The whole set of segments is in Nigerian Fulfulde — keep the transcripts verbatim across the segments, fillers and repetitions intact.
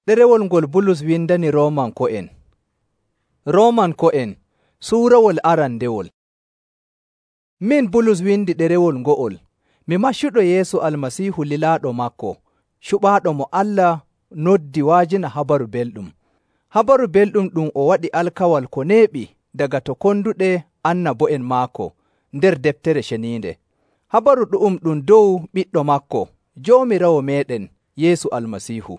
Ɗerewol ngol Bulus windani Roomanko'en. Roomanko'en suurawol arandewol. Min Bulus windi ɗerewol ngo'ol, mi maccuɗo Yeesu Almasiihu lilaaɗo maako, cuɓaaɗo mo Allah noddi wa'ajina Habaru Belɗum. Habaru Belɗum ɗum o waɗi alkawal ko neeɓi daga to konduɗe annabo'en maako nder Deftere Ceniinde. Habaru ɗu'um ɗum dow ɓiɗɗo maako, Joomiraawo meeɗen Yeesu Almasiihu.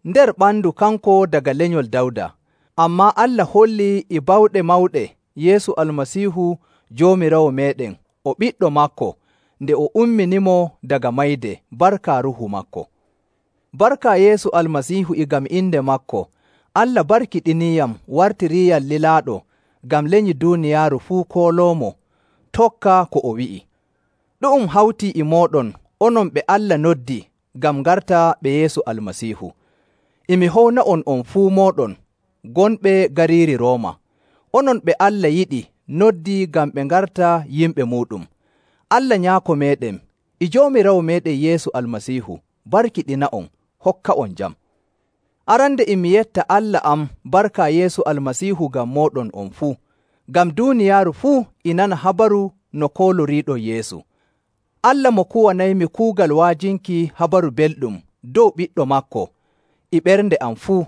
Nder ɓandu kanko daga lenyol Dawda, ammaa Allah holli e bawɗe mawɗe Yeesu Almasiihu Joomiraawo meeɗen o ɓiɗɗo maako nde o umminimo daga mayde barka Ruuhu maako. Barka Yeesu Almasiihu e ngam inde maako, Allah barkiɗiniyam wartiriyam lilaaɗo ngam lenyi duuniyaaru fuu kooloomo tokka ko o wi'i. Ɗu'um hawtii e mooɗon onon ɓe Allah noddi ngam ngarta ɓe Yeesu Almasiihu. E mi howna'on on fuu mooɗon gonɓe gariiri Rooma, onon ɓe Allah yiɗi noddi ngam ɓe ngarta yimɓe muuɗum. Allah Nyaako meeɗen e Joomiraawo meeɗen Yeesu Almasiihu barkiɗina'on, hokka'on jam. Arande e mi yetta Allah am barka Yeesu Almasiihu ngam mooɗon on fuu, ngam duuniyaaru fuu e nana habaru no kooloriiɗon Yeesu. Allah mo kuwanaymi kuugal wa'ajinki Habaru Belɗum dow ɓiɗɗo maako e ɓernde am fuu,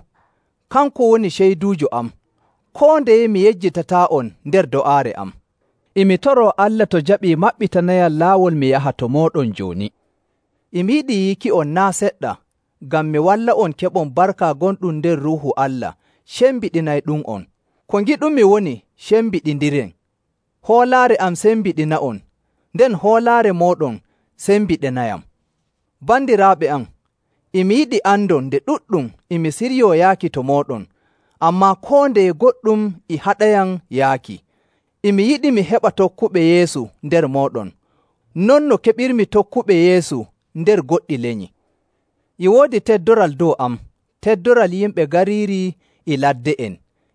kanko woni ceyduujo am, koo ndeye mi yejjitataa'on nder do'aare am. E mi toroo Allah to jaɓii maɓɓitanayam laawol mi yaha to mooɗon jooni. E mi yiɗi yiiki'on naa' seɗɗa, ngam mi walla'on keɓon barka gonɗum nder Ruuhu Allah cembiɗinayɗum'on. Ko ngiɗumi woni cembiɗindiren. Hoolaare am sembiɗina'on, nden hoolaare mooɗon sembiɗinayam. Bandiraaɓe am, e mi yiɗi andon nde ɗuɗɗum e mi siryoo yaaki to mooɗon, ammaa koo ndeye goɗɗum e haɗayam yaaki. E mi yiɗi mi heɓa tokkuɓe Yeesu nder mooɗon, non no keɓirmi tokkuɓe Yeesu nder goɗɗi lenyi. E woodi teddoral dow am, teddoral yimɓe gariiri e ladde'en,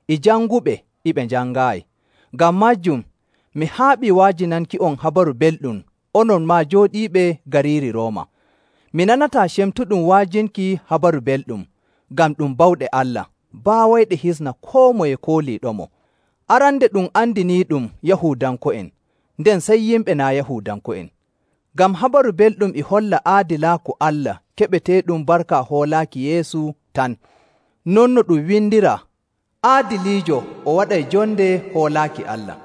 e janguɓe e ɓe njangaayi. Ngam maajum, mi haaɓii wa'ajinanki'on Habaru Belɗum onon maa jooɗiiɓe gariiri Rooma. Mi nanataa cemtuɗum wa'ajinki Habaru Belɗum, ngam ɗum bawɗe Allah, baawayɗe hisna koo moye kooliiɗomo. Arande ɗum andiniiɗum Yahuudanko'en, nden sey yimɓe naa' Yahuudanko'en. Ngam Habaru Belɗum e holla aadilaaku Allah keɓeteeɗum barka hoolaaki Yeesu tan. Non no ɗum windiraa, aadiliijo o waɗay jonde hoolaaki Allah.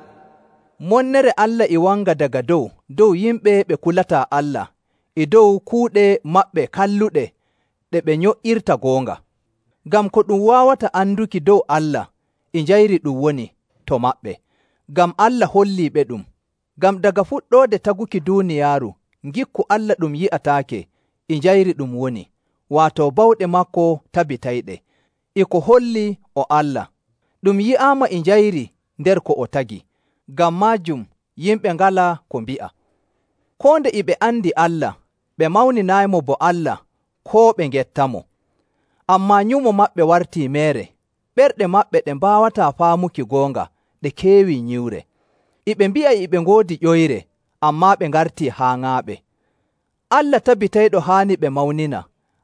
Monnere Allah e wanga daga dow dow yimɓe ɓe kulataa Allah e dow kuuɗe maɓɓe kalluɗe ɗe ɓe nyo'irta goonga. Ngam ko ɗum waawata anduki dow Allah e njayri ɗum woni to maɓɓe, ngam Allah holliiɓe ɗum. Ngam daga fuɗɗoode taguki duuniyaaru, ngikku Allah ɗum yi'ataake e njayri ɗum woni, waato bawɗe maako tabitayɗe, e ko holli o Allah. Ɗum yi'aama e njayri nder ko o tagi. Ngam maajum yimɓe ngalaa ko mbi'a. Koo nde e ɓe andi Allah, ɓe mawninaymo bo Allah koo ɓe ngettamo. Ammaa nyumo maɓɓe wartii meere, ɓerɗe maɓɓe ɗe mbaawataa faamuki goonga ɗe keewii nyiwre. E ɓe mbi'a e ɓe ngoodi ƴoyre, ammaa ɓe ngartii haaŋaaɓe. Allah tabitayɗo haani ɓe mawnina,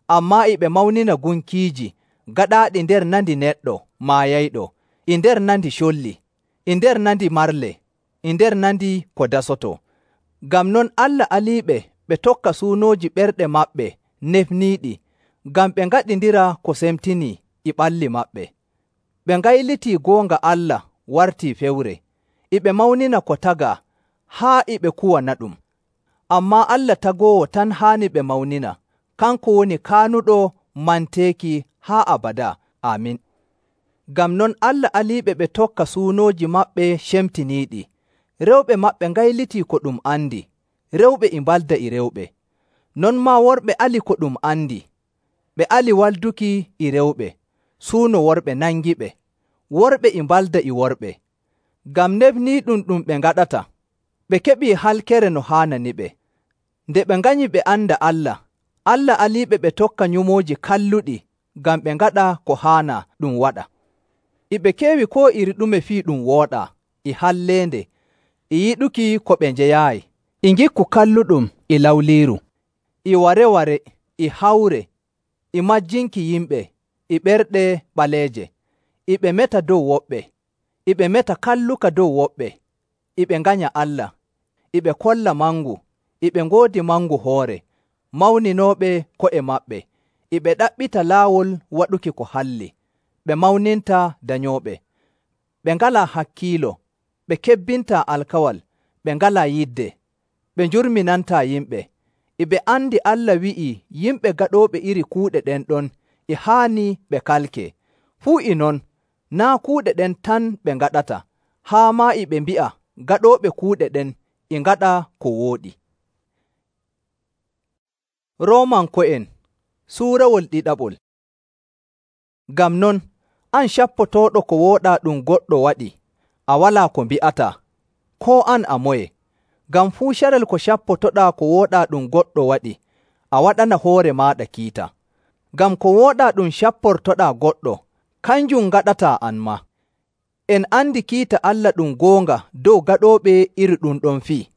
ammaa e ɓe mawnina gunkiiji gaɗaaɗi nder nandi neɗɗo maayayɗo, e nder nandi colli, e nder nandi marle, e nder nandi ko dasoto. Ngam non Allah aliiɓe ɓe tokka suunooji ɓerɗe maɓɓe nefniiɗi, ngam ɓe ngaɗindira ko semtinii e ɓalli maɓɓe. Ɓe ngaylitii goonga Allah wartii fewre, e ɓe mawnina ko tagaa haa e ɓe kuwana ɗum. Ammaa Allah tagoowo tan haani ɓe mawnina, kanko woni kaanuɗo manteeki haa abadaa. Aamin. Ngam non Allah aliiɓe ɓe tokka suunooji maɓɓe cemtiniiɗi. Rewɓe maɓɓe ngaylitii ko ɗum andi, rewɓe e mbalda e rewɓe. Non maa worɓe ali ko ɗum andi, ɓe ali walduki e rewɓe, suuno worɓe nangiɓe, worɓe e mbalda e worɓe. Ngam nefniiɗum ɗum ɓe ngaɗata, ɓe keɓii halkere no haananiɓe. Nde ɓe nganyi ɓe anda Allah, Allah aliiɓe ɓe tokka nyumooji kalluɗi ngam ɓe ngaɗa ko haana ɗum waɗa. E ɓe keewi koo iri ɗume fii ɗum wooɗaa, e halleende, e yiɗuki ko ɓe njeyaayi, e ngikku kalluɗum e lawliiru, e ware-ware, e hawre, e majjinki yimɓe, e ɓerɗe ɓaleeje, e ɓe meta dow woɓɓe, e ɓe meta kalluka dow woɓɓe, e ɓe nganya Allah, e ɓe kolla mangu, e ɓe ngoodi mangu hoore, mawninooɓe ko'e maɓɓe, e ɓe ɗaɓɓita laawol waɗuki ko halli, ɓe mawninta danyooɓe, ɓe ngalaa hakkiilo, ɓe kebbintaa alkawal, ɓe ngalaa yidde, ɓe njurminantaa yimɓe, e ɓe andi Allah wi'ii yimɓe gaɗooɓe iri kuuɗe ɗen ɗon e haani ɓe kalkee. Fuu e non, naa' kuuɗe ɗen tan ɓe ngaɗata, haa maa e ɓe mbi'a gaɗooɓe kuuɗe ɗen e ngaɗa ko wooɗi. Roomanko'en Suurawol ɗiɗaɓol. Ngam non, an cappotooɗo ko wooɗaa ɗum goɗɗo waɗi, a walaa ko mbi'ataa, koo an a moye. Ngam fuu carel ko cappotoɗaa ko wooɗaa ɗum goɗɗo waɗi, a waɗana hoore maaɗa kiita. Ngam ko wooɗaa ɗum capportoɗaa goɗɗo, kanjum ngaɗataa an maa. En andi kiita Allah ɗum goonga dow gaɗooɓe iri ɗum ɗon fii.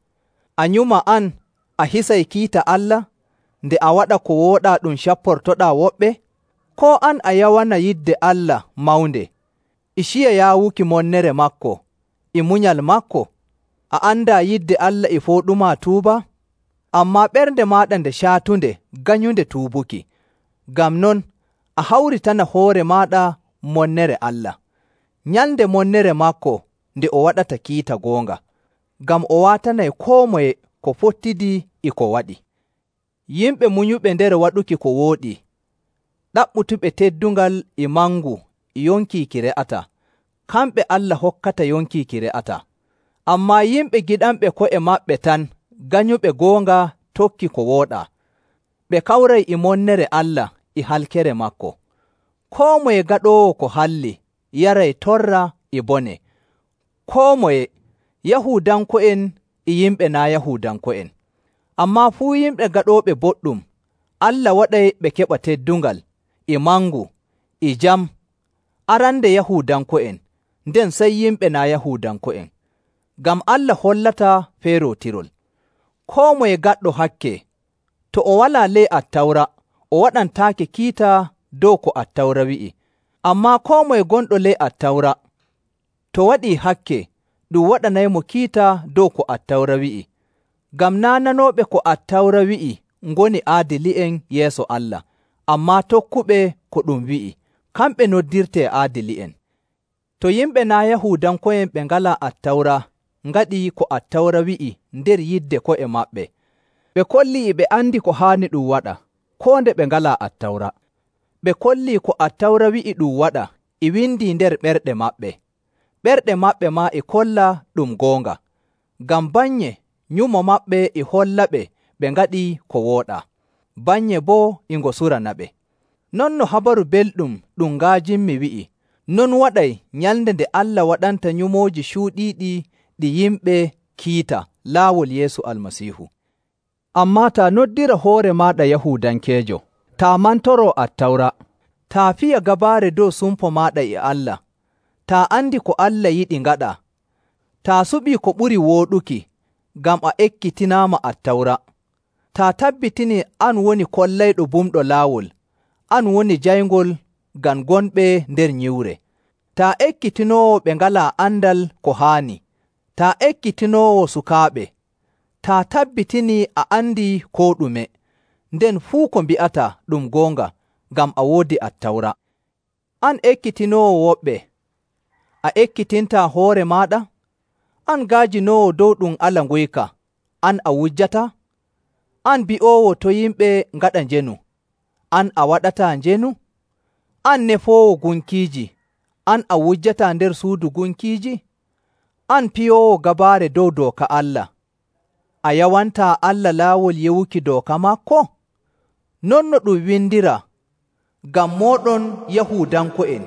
A nyuma an a hisay kiita Allah nde a waɗa ko wooɗaa ɗum capportoɗaa woɓɓe? Koo an a yawana yidde Allah mawnde, e ciya yaawuki monnere maako, e munyal maako? A andaa yidde Allah e fooɗumaa tuuba? Ammaa ɓernde maaɗa nde caatunde ganyunde tuubuki. Ngam non, a hawritana hoore maaɗa monnere Allah. Nyalnde monnere maako nde o waɗata kiita goonga, ngam o waatanay koo moye ko fottidii e ko waɗi. Yimɓe munyuɓe nder waɗuki ko wooɗi, ɗaɓɓutuɓe teddungal e mangu e yonkiiki re'ataa, kamɓe Allah hokkata yonkiiki re'ataa. Ammaa yimɓe giɗanɓe ko'e maɓɓe tan, ganyuɓe goonga tokki ko wooɗaa, ɓe kawray e monnere Allah e halkere maako. Koo moye gaɗoowo ko halli yaray torra e bone, koo moye, Yahuudanko'en e yimɓe naa' Yahuudanko'en. Ammaa fuu yimɓe gaɗooɓe boɗɗum, Allah waɗay ɓe keɓa teddungal, e mangu, e jam, arande Yahuudanko'en, nden sey yimɓe naa' Yahuudanko'en. Ngam Allah hollataa feerootirol. Koo moye gaɗɗo hakke, to o walaa ley Attawra, o waɗantaake kiita dow ko Attawra wi'i. Ammaa koo moye gonɗo ley Attawra, to waɗii hakke, ɗum waɗanaymo kiita dow ko Attawra wi'i. Ngam naa' nanooɓe ko Attawra wi'i ngoni aadili'en yeeso Allah, ammaa tokkuɓe ko ɗum wi'i, kamɓe noddirtee aadili'en. To yimɓe naa' Yahuudanko'en ɓe ngalaa Attawra ngaɗii ko Attawra wi'i nder yidde ko'e maɓɓe, ɓe kollii e ɓe andi ko haani ɗum waɗa, koo nde ɓe ngalaa Attawra. Ɓe kollii ko Attawra wi'i ɗum waɗa e windii nder ɓerɗe maɓɓe. Ɓerɗe maɓɓe maa e kolla ɗum goonga, ngam bannye nyumo maɓɓe e hollaɓe ɓe ngaɗii ko wooɗaa, bannye boo e ngo suranaɓe. Non no Habaru Belɗum ɗum ngaajinmi wi'i, non waɗay nyalnde nde Allah waɗanta nyumooji cuuɗiiɗi ɗi yimɓe kiita laawol Yeesu Almasiihu. Ammaa taa noddira hoore maaɗa Yahuudankeejo, taa mantoroo Attawra, taa fiya gabaare dow sumpo maaɗa e Allah, taa andi ko Allah yiɗi ngaɗaa, taa suɓii ko ɓuri wooɗuki ngam a ekkitinaama Attawra, taa tabbitinii an woni kollayɗo bumɗo laawol, an woni jayngol ngam gonɓe nder nyiwre, taa ekkitinoowo ɓe ngalaa andal ko haani, taa ekkitinoowo sukaaɓe, taa tabbitinii a andii koo ɗume, nden fuu ko mbi'ataa ɗum goonga ngam a woodi Attawra. An ekkitinoowo woɓɓe, a ekkitintaa hoore maaɗa? An gaajinoowo dow ɗum ala nguyka, an a wujjataa? An bi'oowo to yimɓe ngaɗa njenu, an a waɗataa njenu? An nefoowo gunkiiji, an a wujjataa nder suudu gunkiiji? An piyoowo gabaare dow dooka Allah, a yawantaa Allah laawol yewuki dooka maako? Non no ɗum windiraa, ngam mooɗon Yahuudanko'en,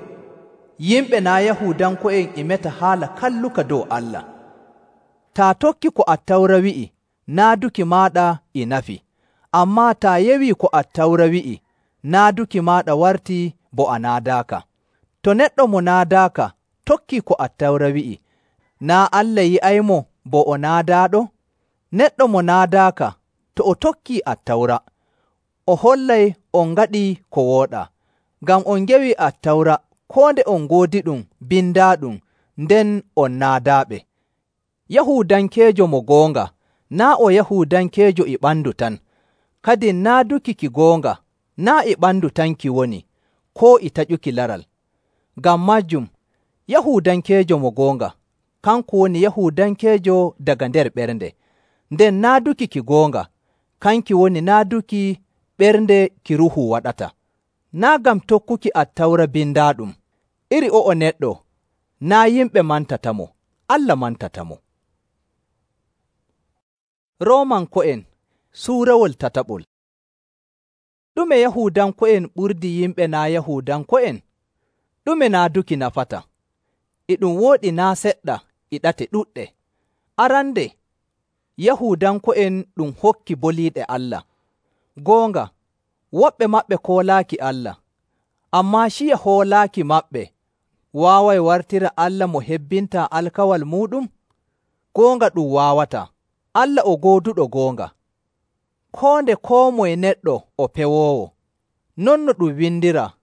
yimɓe naa' Yahuudanko'en e meta haala kalluka dow Allah. Taa tokki ko Attawra wi'i, naaduki maaɗa e nafi, ammaa taa yewii ko Attawra wi'i, naaduki maaɗa wartii bo a naadaaka. To neɗɗo mo naadaaka tokkii ko Attawra wi'i, naa Allah yi'aymo bo o naadaaɗo? Neɗɗo mo naadaaka to o tokkii Attawra, o hollay on ngaɗii ko wooɗaa, ngam on ngewi Attawra koo nde on ngoodi ɗum bindaaɗum nden on naadaaɓe. Yahuudankeejo mo goonga naa' o Yahuudankeejo e ɓandu tan, kadin naaduki ki goonga naa' e ɓandu tan ki woni, koo e taƴuki laral. Ngam maajum, Yahuudankeejo mo goonga kanko woni Yahuudankeejo daga nder ɓernde, nden naaduki ki goonga kanki woni naaduki ɓernde ki Ruuhu waɗata. Naa' ngam tokkuki Attawra bindaaɗum, iri o'o neɗɗo naa' yimɓe mantatamo, Allah mantatamo. Roomanko'en suurawol tataɓol. Ɗume Yahuudanko'en ɓurdi yimɓe naa' Yahuudanko'en? Ɗume naaduki nafata? E ɗum wooɗi naa' seɗɗa e ɗate ɗuɗɗe. Arande, Yahuudanko'en ɗum hokki boliiɗe Allah. Goonga, woɓɓe maɓɓe koolaaki Allah, ammaa ciya hoolaaki maɓɓe waaway wartira Allah mo hebbintaa alkawal muuɗum? Goonga ɗum waawataa. Allah o gooduɗo goonga. Koo nde koo moye neɗɗo o pewoowo. Non no ɗum windiraa,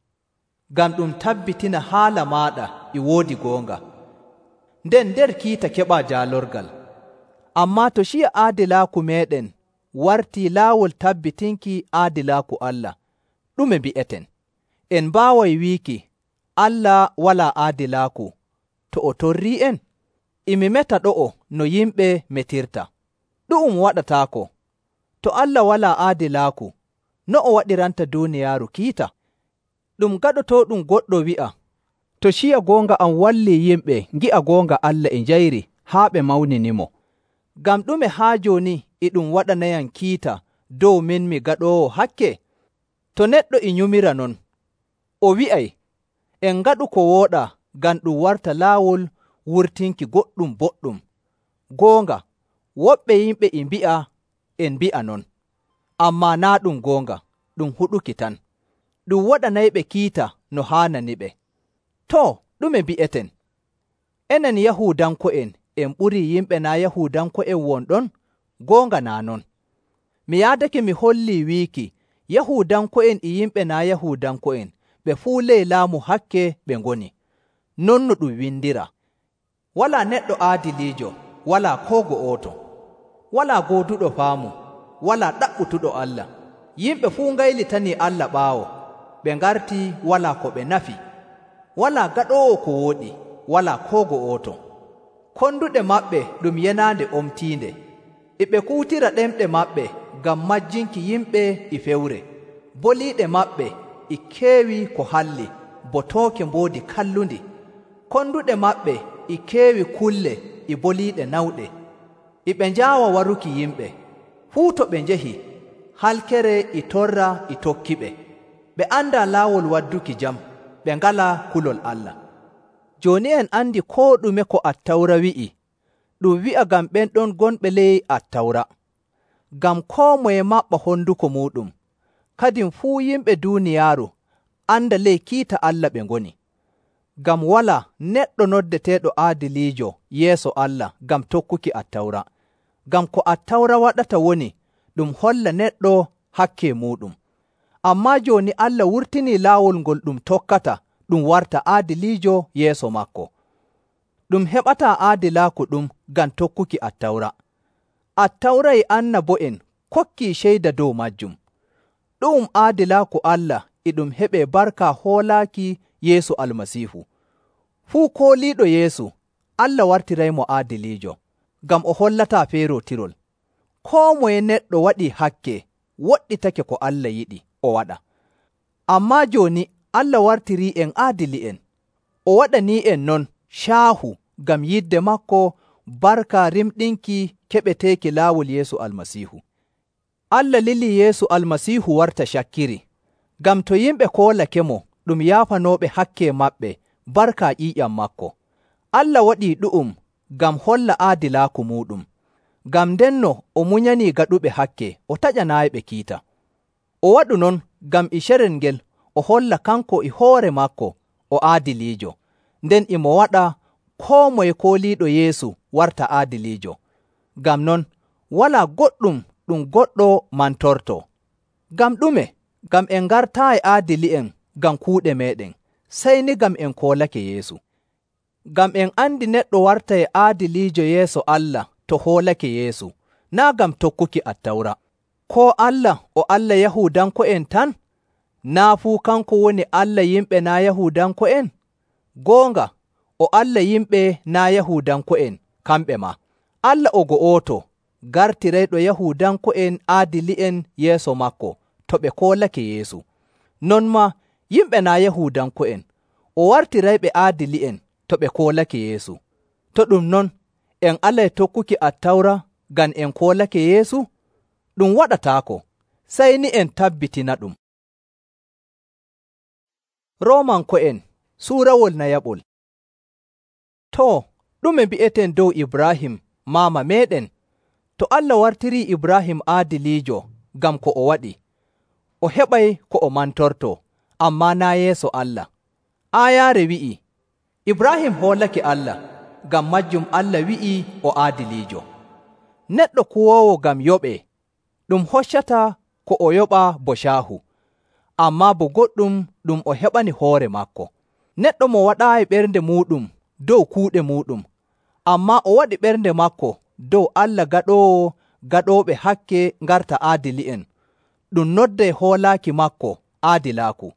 ngam ɗum tabbitina haala maaɗa e woodi goonga. Nden nder kiita keɓaa jaalorgal. Ammaa to ciya aadilaaku meeɗen wartii laawol tabbitinki aadilaaku Allah, ɗume mbi'eten? En mbaaway wiiki Allah walaa aadilaaku to o torrii'en? E mi meta ɗo'o no yimɓe metirta. Ɗu'um waɗataako. To Allah walaa aadilaaku, no o waɗiranta duuniyaaru kiita? Ɗum gaɗotooɗum goɗɗo wi'a, to ciya goonga am wallii yimɓe ngi'a goonga Allah e njayri haa ɓe mawninimo. Ngam ɗume haa jooni e ɗum waɗanayam kiita dow min mi gaɗoowo hakke? To neɗɗo e nyumira non, o wi'ay, en ngaɗu ko wooɗaa ngam ɗum warta laawol wurtinki goɗɗum boɗɗum. Goonga, woɓɓe yimɓe e mbi'a en mbi'a non, ammaa naa' ɗum goonga, ɗum huɗuki tan. Ɗum waɗanayɓe kiita no haananiɓe. Too, ɗume mbi'eten? Enen Yahuudanko'en en ɓurii yimɓe naa' Yahuudanko'en wonɗon? Goonga naa non. Mi yaadake mi hollii wiiki Yahuudanko'en e yimɓe naa' Yahuudanko'en ɓe fuu ley laamu hakke ɓe ngoni. Non no ɗum windiraa. Walaa neɗɗo aadiliijo, walaa koo go'oto. Walaa gooduɗo faamu, walaa ɗaɓɓutuɗo Allah. Yimɓe fuu ngaylitanii Allah ɓaawo, ɓe ngartii walaa ko ɓe nafi. Walaa gaɗoowo ko wooɗi, walaa koo go'oto. Konduɗe maɓɓe ɗum yenaande omtiinde. E ɓe kuutira ɗemɗe maɓɓe ngam majjinki yimɓe e fewre. Boliiɗe maɓɓe e keewi ko halli, bo tooke mboodi kallundi. Konduɗe maɓɓe e keewi kulle e boliiɗe nawɗe. E ɓe njaawa waruki yimɓe. Fuu to ɓe njehi, halkere e torra e tokkiɓe. Ɓe andaa laawol wadduki jam, ɓe ngalaa kulol Allah. Jooni en andi koo ɗume ko Attawra wi'i, ɗum wi'a ngam ɓen ɗon gonɓe ley Attawra. Ngam koo moye maɓɓa honduko muuɗum, kadin fuu yimɓe duuniyaaru anda ley kiita Allah ɓe ngoni. Ngam walaa neɗɗo noddeteeɗo aadiliijo yeeso Allah ngam tokkuki Attawra. Ngam ko Attawra waɗata woni ɗum holla neɗɗo hakke muuɗum. Ammaa jooni Allah wurtinii laawol ngol ɗum tokkata ɗum warta aadiliijo yeeso maako. Ɗum heɓataa aadilaaku ɗum ngam tokkuki Attawra. Attawra e annabo'en kokkii ceyda dow majjum. Ɗu'um aadilaaku Allah e ɗum heɓee barka hoolaaki Yeesu Almasiihu. Fuu kooliiɗo Yeesu, Allah wartiraymo aadiliijo, ngam o hollataa feerootirol. Koo moye neɗɗo waɗii hakke woɗɗitake ko Allah yiɗi o waɗa. Ammaa jooni Allah wartirii'en aadili'en. O waɗanii'en non caahu ngam yidde maako barka rimɗinki keɓeteeki laawol Yeesu Almasiihu. Allah lilii Yeesu Almasiihu warta cakkiri, ngam to yimɓe koolake mo ɗum yaafanooɓe hakke maɓɓe barka ƴiiƴam maako. Allah waɗii ɗu'um ngam holla aadilaaku muuɗum. Ngam ndenno o munyanii gaɗuɓe hakke o taƴanaayiɓe kiita. O waɗu non ngam e carel ngel o holla kanko e hoore maako o aadiliijo, nden e mo waɗa koo moye kooliiɗo Yeesu warta aadiliijo. Ngam non, walaa goɗɗum ɗum goɗɗo mantortoo. Ngam ɗume? Ngam en ngartaayi aadili'en ngam kuuɗe meeɗen, sey ni ngam en koolake Yeesu. Ngam en andi neɗɗo wartay aadiliijo yeeso Allah to hoolake Yeesu, naa' ngam tokkuki Attawra. Koo Allah o Allah Yahuudanko'en tan? Naa' fuu kanko woni Allah yimɓe naa' Yahuudanko'en? Goonga, o Allah yimɓe naa' Yahuudanko'en kamɓe maa. Allah o go'oto gartirayɗo Yahuudanko'en aadili'en yeeso maako to ɓe koolake Yeesu. Non maa yimɓe naa' Yahuudanko'en o wartirayɓe aadili'en to ɓe koolake Yeesu. To ɗum non, en alay tokkuki Attawra ngam en koolake Yeesu? Ɗum waɗataako, sey ni en tabbitina ɗum. Roomanko'en suurawol nayaɓol. Too, ɗume mbi'eten dow Ibraahim maama meeɗen? To Allah wartirii Ibraahim aadiliijo ngam ko o waɗi, o heɓay ko o mantortoo, ammaa naa' yeeso Allah. Aayaare wi'ii, Ibraahim hoolake Allah, ngam majjum Allah wi'ii o aadiliijo. Neɗɗo kuwoowo ngam yoɓee, ɗum hoccataa ko o yoɓaa bo caahu, ammaa bo goɗɗum ɗum o heɓani hoore maako. Neɗɗo mo waɗaayi ɓernde muuɗum dow kuuɗe muuɗum, ammaa o waɗi ɓernde maako dow Allah gaɗoowo gaɗooɓe hakke ngarta aadili'en, ɗum nodday hoolaaki maako aadilaaku.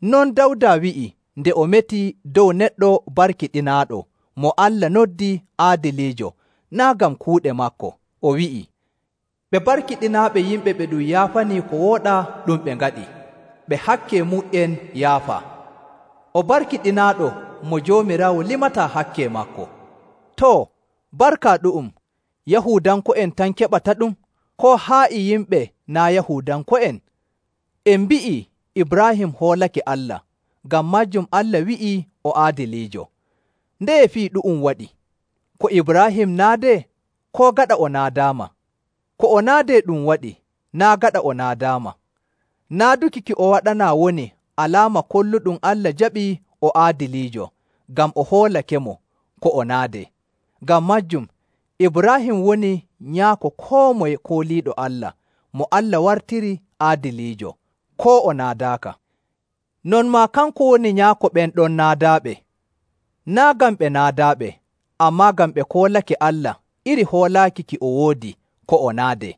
Non Dawda wi'i nde o metii dow neɗɗo barkiɗinaaɗo mo Allah noddi aadiliijo, naa' ngam kuuɗe maako. O wi'i, ɓe barkiɗinaaɓe yimɓe ɓe ɗum yaafanii ko wooɗaa ɗum ɓe ngaɗi, ɓe hakke mu'en yaafa. O barkiɗinaaɗo mo Joomiraawo limataa hakke maako. Too, barka ɗu'um Yahuudanko'en tan keɓata ɗum, koo haa e yimɓe naa' Yahuudanko'en? En mbi'ii Ibraahim hoolake Allah, ngam majjum Allah wi'ii o aadiliijo. Ndeye fii ɗu'um waɗi? Ko Ibraahim naadee, koo gaɗa o naadaama? Ko o naadee ɗum waɗi, naa' gaɗa o naadaama. Naaduki ki o waɗanaa woni alaama kolluɗum Allah jaɓii o aadiliijo, ngam o hoolake-mo ko o naadee. Ngam majjum, Ibraahim woni nyaako koo moye kooliiɗo Allah, mo Allah wartiri aadiliijo, koo o naadaaka. Non maa kanko woni nyaako ɓen ɗon naadaaɓe, naa' ngam ɓe naadaaɓe, ammaa ngam ɓe koolake Allah iri hoolaaki ki o woodi ko o naadee.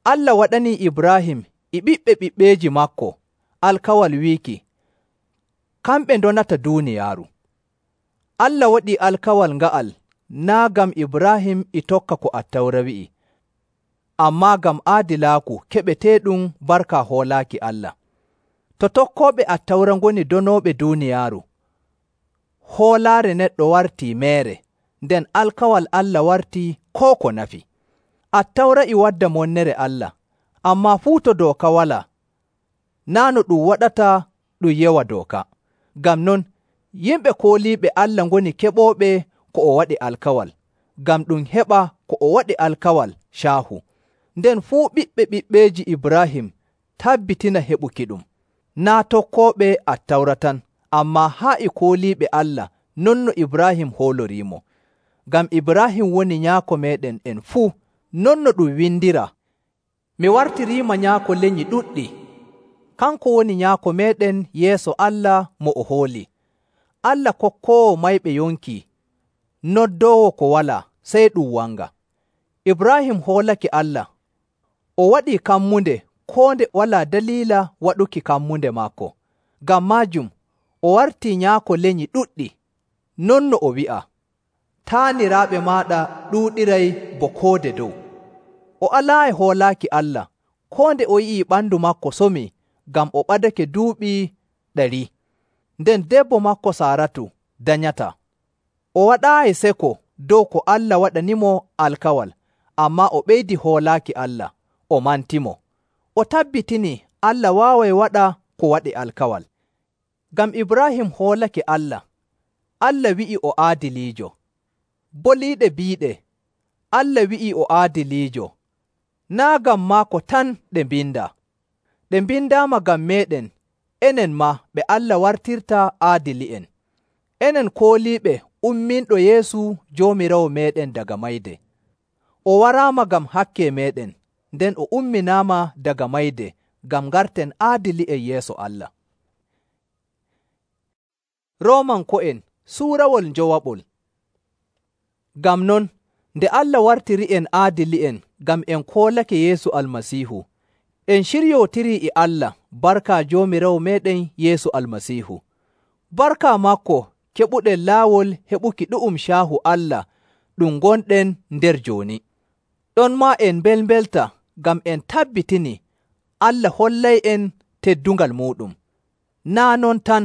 Allah waɗanii Ibraahim e ɓiɓɓe ɓiɓɓeeji maako alkawal wiiki, kamɓe ndonata duuniyaaru. Allah waɗii alkawal nga'al naa' ngam Ibraahim e tokka ko Attawra wi'i, ammaa ngam aadilaaku keɓeteeɗum barka hoolaaki Allah. To tokkooɓe Attawra ngoni donooɓe duuniyaaru, hoolaare neɗɗo wartii meere, nden alkawal Allah wartii koo ko nafi. Attawra e wadda monnere Allah, ammaa fuu to dooka walaa, naa' no ɗum waɗata ɗum yewa dooka. Ngam non, yimɓe kooliiɓe Allah ngoni keɓooɓe ko o waɗi alkawal, ngam ɗum heɓa ko o waɗi alkawal caahu. Nden fuu ɓiɓɓe ɓiɓɓeeji Ibraahim tabbitina heɓuki ɗum, naa' tokkooɓe Attawra tan, ammaa haa e kooliiɓe Allah non no Ibraahim hooloriimo. Ngam Ibraahim woni nyaako meeɗen en fuu, non no ɗum windiraa, mi wartiriima nyaako lenyi ɗuɗɗi. Kanko woni nyaako meeɗen yeeso Allah mo o hooli. Allah kokkoowo mayɓe yonki, noddoowo ko walaa, sey ɗum wanga. Ibraahim hoolake Allah, o waɗii kammunde koo nde walaa daliila waɗuki kammunde maako. Ngam maajum, o wartii nyaako lenyi ɗuɗɗi, non no o wi'a, taaniraaɓe maaɗa ɗuuɗiray bo koode dow. O alaayi hoolaaki Allah, koo nde o yi'ii ɓandu maako somii, ngam o ɓadake duuɓi ɗari. Nden debbo maako Saaratu danyataa. O waɗaayi seko dow ko Allah waɗanimo alkawal, ammaa o ɓeydi hoolaaki Allah, o mantimo. O tabbitinii Allah waaway waɗa ko waɗi alkawal. Ngam Ibraahim hoolake Allah, Allah wi'i o aadiliijo. Boliiɗe biiɗe, Allah wi'i o aadiliijo, naa' ngam maako tan ɗe mbindaa. Ɗe mbindaama ngam meeɗen, enen maa ɓe Allah wartirta aadili'en. Enen kooliiɓe umminɗo Yeesu Joomiraawo meeɗen daga mayde. O waraama ngam hakke meeɗen, nden o umminaama daga mayde ngam ngarten aadili'en yeeso Allah. Roomanko'en suurawol njowaɓol. Ngam non, nde Allah wartiri'en aadili'en ngam en koolake Yeesu Almasiihu, en ciryootirii e Allah barka Joomiraawo meeɗen Yeesu Almasiihu. Barka maako keɓuɗen laawol heɓuki ɗu'um caahu Allah ɗum ngonɗen nder jooni. Ɗonmaa en mbelmbelta ngam en tabbitini Allah hollay'en teddungal muuɗum. Naa' non tan,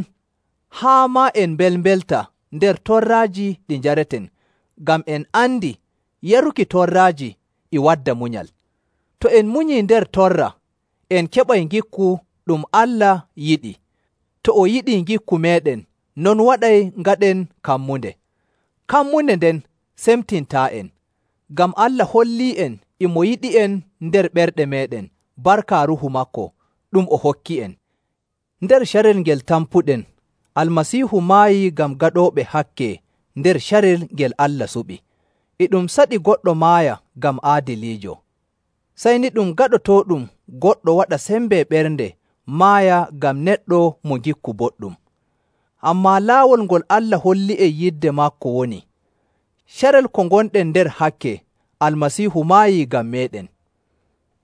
haa maa en mbelmbelta nder torraaji ɗi njareten, ngam en andi yaruki torraaji e wadda munyal. To en munyii nder torra, en keɓay ngikku ɗum Allah yiɗi. To o yiɗii ngikku meeɗen, non waɗay ngaɗen kammunde. Kammunde nden semtintaa'en, ngam Allah hollii'en e mo yiɗi'en nder ɓerɗe meeɗen barka Ruuhu maako ɗum o hokki'en. Nder carel ngel tampuɗen, Almasiihu maayii ngam gaɗooɓe hakke nder carel ngel Allah suɓi. E ɗum saɗi goɗɗo maaya ngam aadiliijo. Sey ni ɗum gaɗotooɗum goɗɗo waɗa sembe ɓernde maaya ngam neɗɗo mo ngikku boɗɗum. Ammaa laawol ngol Allah holli'en yidde maako woni, carel ko ngonɗen nder hakke, Almasiihu maayii ngam meeɗen.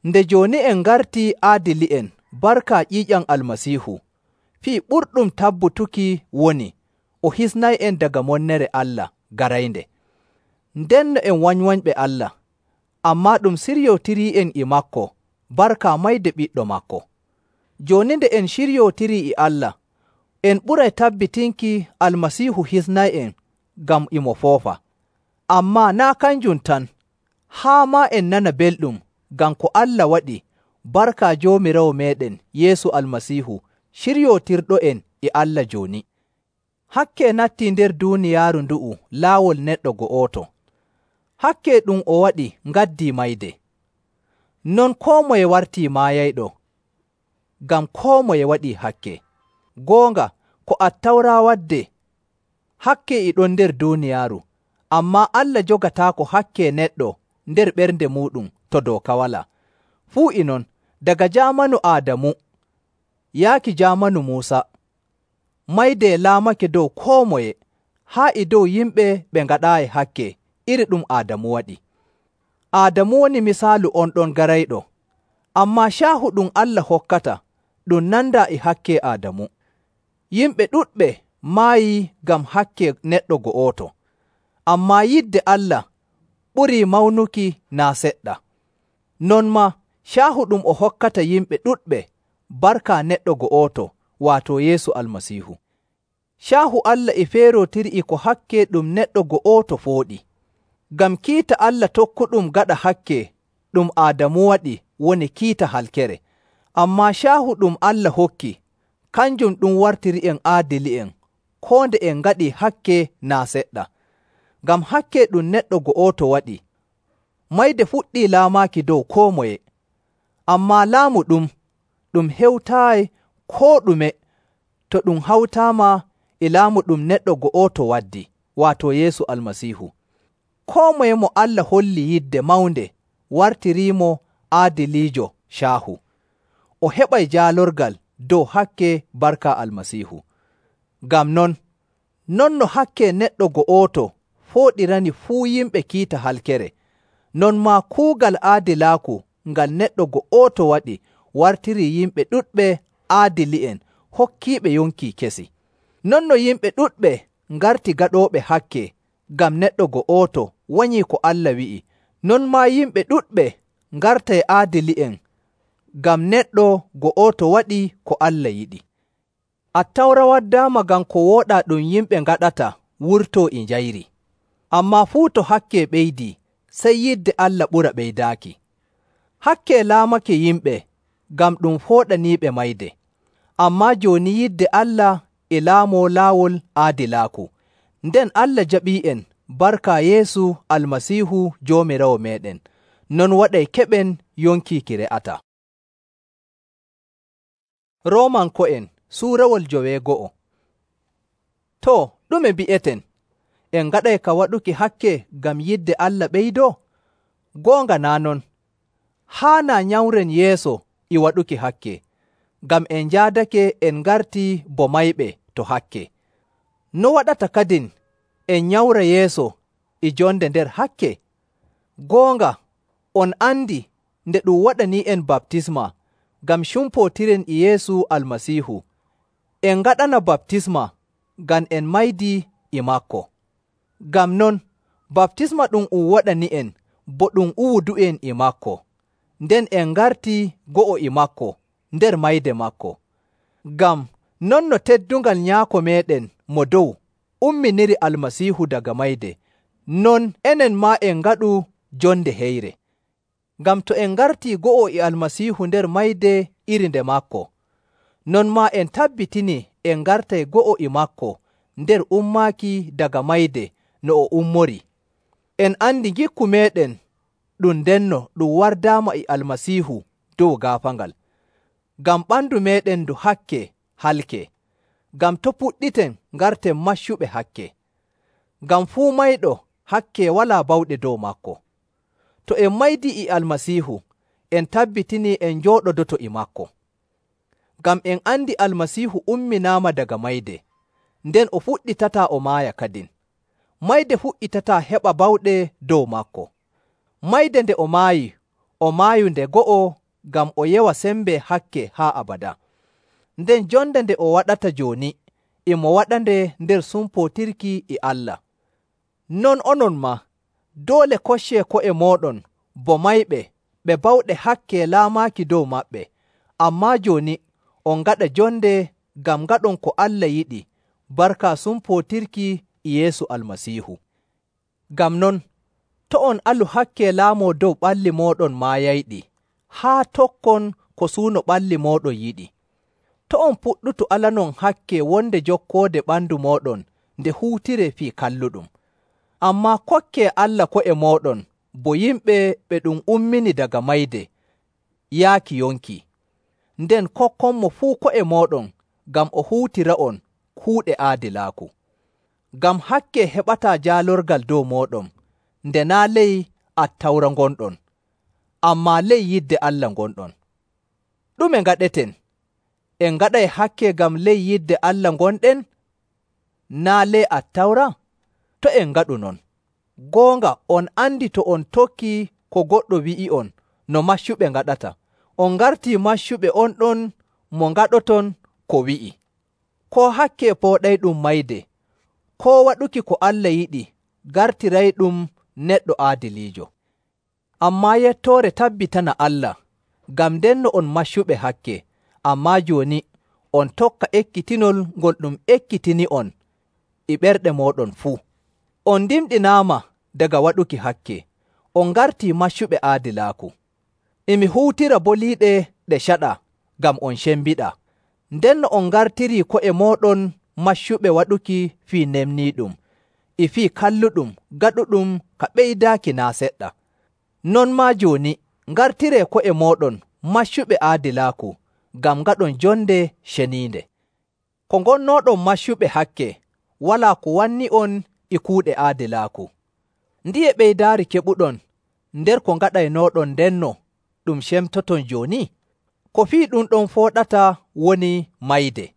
Nde jooni en ngartii aadili'en barka ƴiiƴam Almasiihu, fii ɓurɗum tabbutuki woni o hisnay'en daga monnere Allah garaynde. Ndenno en wanywanyɓe Allah, ammaa ɗum siryootirii'en e maako barka mayde Ɓiɗɗo maako. Jooni nde en ciryootirii e Allah, en ɓuray tabbitinki Almasiihu hisnay'en ngam e mo foofa. Ammaa naa' kanjum tan, haa maa en nana belɗum ngam ko Allah waɗi barka Joomiraawo meeɗen Yeesu Almasiihu ciryootirɗo'en e Allah jooni. Hakke nattii nder duuniyaaru ndu'u laawol neɗɗo go'oto. Hakke ɗum o waɗi ngaddii mayde. Non koo moye wartii maayayɗo, ngam koo moye waɗii hakke. Goonga, ko Attawra wadde, hakke e ɗon nder duuniyaaru, ammaa Allah jogataako hakke neɗɗo nder ɓernde muuɗum to dooka walaa. Fuu e non, daga jaamanu Aadamu yaaki jaamanu Muusa, mayde laamake dow koo moye, haa e dow yimɓe ɓe ngaɗaayi hakke iri ɗum Aadamu waɗi. Aadamu woni misaalu on ɗon garayɗo, ammaa caahu ɗum Allah hokkata ɗum nandaa e hakke Aadamu. Yimɓe ɗuɗɓe maayii ngam hakke neɗɗo go'oto, ammaa yidde Allah ɓurii mawnuki naa seɗɗa. Non maa caahu ɗum o hokkata yimɓe ɗuɗɓe barka neɗɗo go'oto, waato Yeesu Almasiihu. Caahu Allah e feerootiri e ko hakke ɗum neɗɗo go'oto fooɗi. Ngam kiita Allah tokkuɗum gaɗa hakke ɗum Aadamu waɗi woni kiita halkere, ammaa caahu ɗum Allah hokki, kanjum ɗum wartiri'en aadili'en koo nde en ngaɗii hakke naa seɗɗa. Ngam hakke ɗum neɗɗo go'oto waɗi, mayde fuɗɗii laamaaki dow koo moye. Ammaa laamu ɗum, ɗum hewtaayi koo ɗume to ɗum hawtaama e laamu ɗum neɗɗo go'oto waddi, waato Yeesu Almasiihu. Koo moye mo Allah holli yidde mawnde wartiriimo aadiliijo caahu. O heɓay jaalorgal dow hakke barka Almasiihu. Ngam non, non no hakke neɗɗo go'oto fooɗirani fuu yimɓe kiita halkere, non maa kuugal aadilaaku ngal neɗɗo go'oto waɗi wartirii yimɓe ɗuɗɓe aadili'en hokkiiɓe yonki kesi. Non no yimɓe ɗuɗɓe ngarti gaɗooɓe hakke ngam neɗɗo go'oto wanyii ko Allah wi'i, non maa yimɓe ɗuɗɓe ngartay aadili'en ngam neɗɗo go'oto waɗi ko Allah yiɗi. Attawra waddaama ngam ko wooɗaa ɗum yimɓe ngaɗata wurtoo e njayri. Ammaa fuu to hakke ɓeydii, sey yidde Allah ɓura ɓeydaaki. Hakke laamake yimɓe ngam ɗum fooɗaniiɓe mayde. Ammaa jooni yidde Allah e laamoo laawol aadilaaku, nden Allah jaɓii'en barka Yeesu Almasiihu Joomiraawo meeɗen, non waɗay keɓen yonki ki re'ataa. Roomanko'en suurawol joweego'o. Too, ɗume mbi'eten? En ngaɗay ka waɗuki hakke ngam yidde Allah ɓeydoo? Goonga naa non, haanaa nyamren yeeso e waɗuki hakke, ngam en njaadake en ngartii bo mayɓe to hakke. No waɗata kadin en nyawra yeeso e jonde nder hakke? Goonga, on andi nde ɗum waɗanii'en baptisma ngam cumpootiren e Yeesu Almasiihu, en ngaɗana baptisma ngam en maydii e maako. Ngam non, baptisma ɗum um waɗani'en bo ɗum uwudu'en e maako, nden en ngartii go'o e maako nder mayde maako. Ngam non no teddungal Nyaako meeɗen mo dow umminiri Almasiihu daga mayde, non enen maa en ngaɗu jonde heyre. Ngam to en ngartii go'o e Almasiihu nder mayde iri nde maako, non maa en tabbitinii en ngartay go'o e maako nder ummaaki daga mayde no o ummori. En andi ngikku meeɗen ɗum ndenno ɗum wardaama e Almasiihu dow gaafaangal. Ngam ɓandu meeɗen ndu hakke halke, ngam to' puɗɗiten ngarten maccuɓe hakke. Ngam fuu mayɗo hakke walaa bawɗe dow maako. To en maydii e Almasiihu, en tabbitinii en njooɗodoto e maako. Ngam en andi Almasiihu umminaama daga mayde, nden o fuɗɗitataa o maaya kadin. Mayde fuɗɗitataa heɓa bawɗe dow maako. Mayde nde o maayi, o maayu nde go'o ngam o yewa sembe hakke haa abada. Nden jonde nde o waɗata jooni, e mo waɗande nder sumpootirki e Allah. Non onon maa, doole koccee ko'e mooɗon bo mayɓe ɓe bawɗe hakke laamaaki dow maɓɓe, ammaa jooni on ngaɗa jonde ngam ngaɗon ko Allah yiɗi barka sumpootirki e Yeesu Almasiihu. Ngam non, to' on alu hakke laamoo dow ɓalli mooɗon maayayɗi, haa tokkon ko suuno ɓalli mooɗon yiɗi. To' on puɗɗutu alanon hakke wonde jokkoode ɓandu mooɗon nde huutiree fii kalluɗum. Ammaa kokkee Allah ko'e mooɗon bo yimɓe ɓe ɗum ummini daga mayde yaaki yonki. Nden kokkonmo fuu ko'e mooɗon ngam o huutira'on kuuɗe aadilaaku. Ngam hakke heɓataa jaalorgal dow mooɗon, nde naa' ley Attawra ngonɗon, ammaa ley yidde Allah ngonɗon. Ɗume ngaɗeten? En ngaɗay hakke ngam ley yidde Allah ngonɗen, naa' ley Attawra? To' en ngaɗu non. Goonga on andi to on tokkii ko goɗɗo wi'i'on no maccuɓe ngaɗata, on ngartii maccuɓe on ɗon mo ngaɗoton ko wi'i. Koo hakke pooɗayɗum mayde, koo waɗuki ko Allah yiɗi gartirayɗum neɗɗo aadiliijo. Ammaa yettoore tabbitana Allah, ngam ndenno on maccuɓe hakke, ammaa jooni on tokka ekkitinol ngol ɗum ekkitini'on e ɓerɗe mooɗon fuu. On ndimɗinaama daga waɗuki hakke, on ngartii maccuɓe aadilaaku. E mi huutira boliiɗe ɗe caɗa ngam on cembiɗaa, ndenno on ngartirii ko'e mooɗon maccuɓe waɗuki fii nemniiɗum, e fii kalluɗum gaɗuɗum ka ɓeydaaki naa seɗɗa. Non maa jooni ngartiree ko'e mooɗon maccuɓe aadilaaku ngam ngaɗon jonde ceniinde. Ko ngonnooɗon maccuɓe hakke, walaa ko wanni'on e kuuɗe aadilaaku. Ndiye ɓeydaari keɓuɗon nder ko ngaɗaynooɗon ndenno ɗum cemtoton jooni? Ko fii ɗum ɗon fooɗata woni mayde.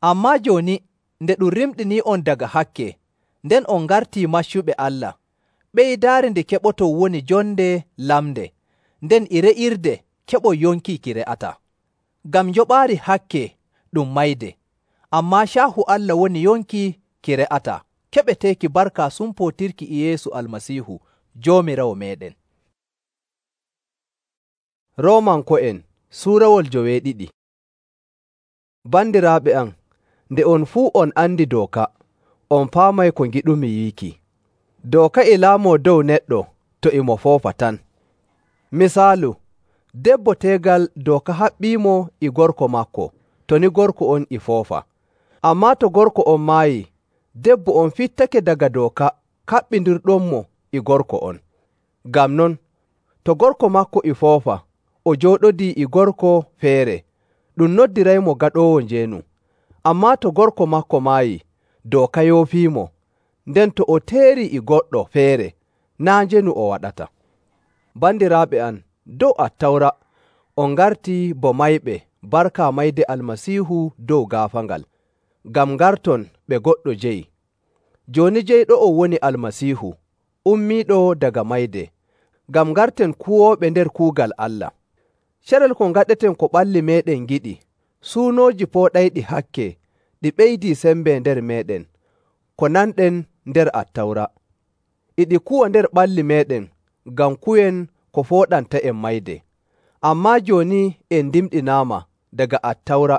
Ammaa jooni nde ɗum rimɗinii'on daga hakke, nden on ngartii maccuɓe Allah, ɓeydaari nde keɓoton woni jonde lamde, nden e re'irde keɓon yonki ki re'ataa. Ngam njoɓaari hakke ɗum mayde, ammaa caahu Allah woni yonki ki re'ataa, keɓeteeki barka sumpootirki e Yeesu Almasiihu Joomiraawo meeɗen. Roomanko'en Suurawol joweeɗiɗi. Bandiraaɓe am, nde on fuu on andi dooka, on paamay ko ngiɗumi wiiki. Dooka e laamoo dow neɗɗo to e mo foofa tan. Misaalu, debbo teegal dooka haɓɓiimo e gorko maako, to ni gorko on e foofa. Ammaa to gorko on maayi, debbo on fittake daga dooka kaɓɓindirɗonmo e gorko on. Ngam non, to gorko maako e foofa, o jooɗodii e gorko feere, ɗum noddiraymo gaɗoowo njeenu. Ammaa to gorko maako maayi, dooka yoofiimo, nden to o teerii e goɗɗo feere, naa njeenu o waɗata. Bandiraaɓe am, dow Attawra, on ngartii bo mayɓe barka mayde Almasiihu dow gaafaangal. ngam ngarton ɓe goɗɗo jeyi. Jooni jeyɗo'on woni Almasiihu, ummiiɗo daga mayde, ngam ngarten kuwooɓe nder kuugal Allah. Carel ko ngaɗeten ko ɓalli meeɗen ngiɗi, suunooji pooɗayɗi hakke, ɗi ɓeydii sembe nder meeɗen, ko nanɗen nder Attawra. E ɗi kuwa nder ɓalli meeɗen ngam kuwen ko fooɗanta'en mayde. Ammaa jooni en ndimɗinaama daga Attawra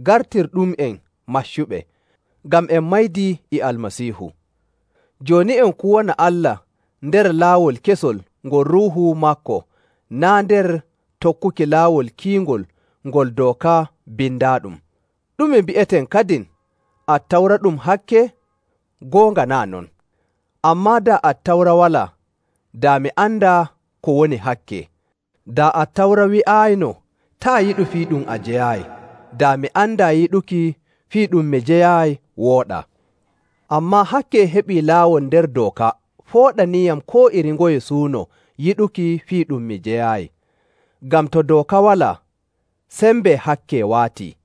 gartirɗum'en maccuɓe, ngam en maydii e Almasiihu. Jooni en kuwana Allah nder laawol kesol ngol Ruuhu maako, naa' nder tokkuki laawol kiingol ngol dooka bindaaɗum. Ɗume mbi'eten kadin? Attawra ɗum hakke? Goonga naa' non. Ammaa daa Attawra walaa, daa mi andaa ko woni hakke. Daa Attawra wi'aayino, taa' yiɗu fii ɗum a jeyaayi, daa mi andaa yiɗuki fii ɗum mi jeyaayi wooɗaa. Ammaa hakke heɓii laawol nder dooka fooɗaniiyam koo iri ngoye suuno yiɗuki fii ɗum mi jeyaayi. Ngam to dooka walaa, sembe hakke waatii.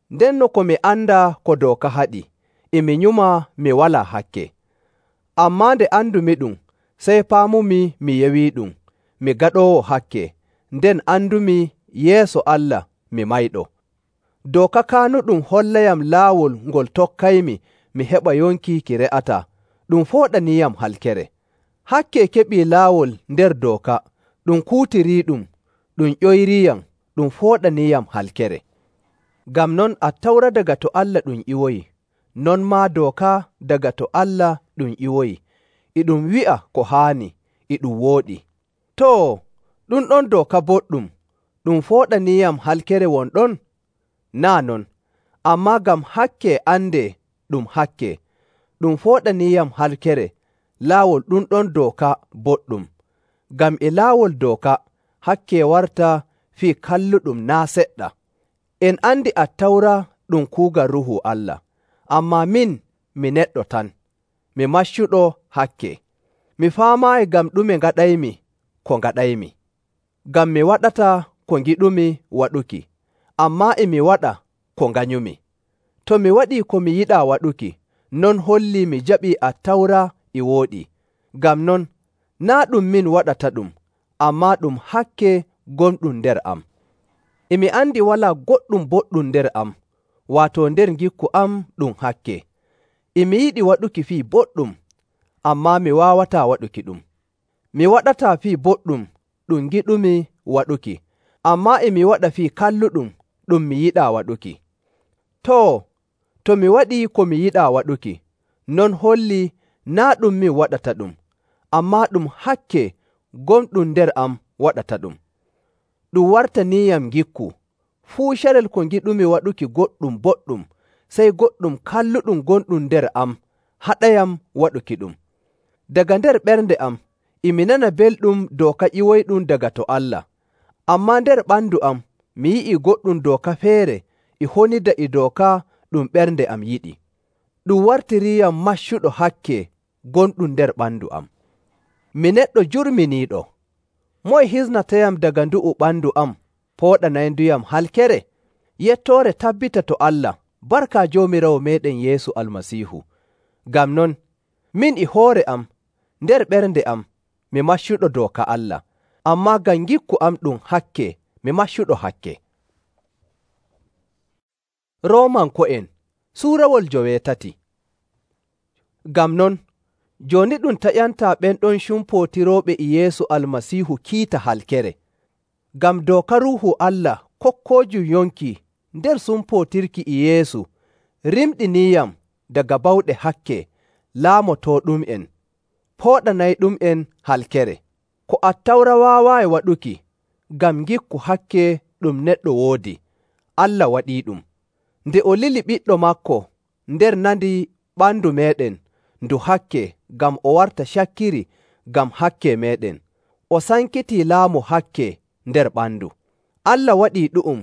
Ndenno ko mi andaa ko dooka haɗi, e mi nyuma mi walaa hakke. Ammaa nde andumi-ɗum, sey paamumi mi yewiiɗum, mi gaɗoowo hakke, nden andumi yeeso Allah mi mayɗo. Dooka kaanuɗum hollayam laawol ngol tokkaymi mi heɓa yonki ki re'ataa, ɗum fooɗaniiyam halkere. Hakke keɓii laawol nder dooka, ɗum kuutiriiɗum, ɗum ƴoyriiyam, ɗum fooɗaniiyam halkere. Ngam non Attawra daga to Allah ɗum ƴiwoyi, non maa dooka daga to Allah ɗum ƴiwoyi, e ɗum wi'a ko haani, e ɗum wooɗi. Too, ɗum ɗon dooka boɗɗum, ɗum fooɗaniiyam halkere won ɗon? Naa' non, ammaa ngam hakke andee ɗum hakke, ɗum fooɗaniiyam halkere, laawol ɗum ɗon dooka boɗɗum. Ngam e laawol dooka, hakke warta fii kalluɗum naa' seɗɗa. En andi Attawra ɗum kuugal Ruuhu Allah, ammaa min mi neɗɗo tan, mi maccuɗo hakke. Mi faamaayi ngam ɗume ngaɗaymi ko ngaɗaymi. Ngam mi waɗataa ko ngiɗumi waɗuki, ammaa e mi waɗa ko nganyumi. To mi waɗii ko mi yiɗaa waɗuki, non hollii mi jaɓii Attawra e wooɗi. Ngam non, naa' ɗum min waɗata ɗum, ammaa ɗum hakke gonɗum nder am. E mi andi walaa goɗɗum boɗɗum nder am, waato nder ngikku am ɗum hakke. E mi yiɗi waɗuki fii boɗɗum, ammaa mi waawataa waɗuki ɗum. Mi waɗataa fii boɗɗum ɗum ngiɗumi waɗuki, ammaa e mi waɗa fii kalluɗum ɗum mi yiɗaa waɗuki. Too, to mi waɗii ko mi yiɗaa waɗuki, non hollii naa' ɗum min waɗata ɗum, ammaa ɗum hakke gonɗum nder am waɗata ɗum. Ɗum wartaniiyam ngikku, fuu carel ko ngiɗumi waɗuki goɗɗum boɗɗum, sey goɗɗum kalluɗum gonɗum nder am haɗayam waɗuki ɗum. Daga nder ɓernde am, e mi nana belɗum dooka ƴiwoyɗum daga to Allah, ammaa nder ɓandu am mi yi'ii goɗɗum dooka feere e honida e dooka ɗum ɓernde am yiɗi. Ɗum wartiriiyam maccuɗo hakke gonɗum nder ɓandu am. Mi neɗɗo jurminiiɗo, moye hisnatayam daga ndu'u ɓandu am pooɗanayduyam halkere? Yettoore tabbita to Allah barka Joomiraawo meeɗen Yeesu Almasiihu. Ngam non, min e hoore am, nder ɓernde am, mi maccuɗo dooka Allah, ammaa ngam ngikku am ɗum hakke mi maccuɗo hakke. Roomanko'en Suurawol joweetati. Ngam non, jooni ɗum taƴantaa ɓen ɗon cumpootirooɓe e Yeesu Almasiihu kiita halkere. Ngam dooka Ruuhu Allah kokkoojum yonki nder sumpootirki e Yeesu rimɗiniiyam daga bawɗe hakke laamotooɗum'en, pooɗanayɗum'en halkere. Ko Attawra waawaayi waɗuki, ngam ngikku hakke ɗum neɗɗo woodi, Allah waɗiiɗum. Nde o lili ɓiɗɗo maako nder nandi ɓandu meeɗen ndu hakke ngam o warta cakkiri ngam hakke meeɗen, o sankitii laamu hakke nder ɓandu. Allah waɗii ɗu'um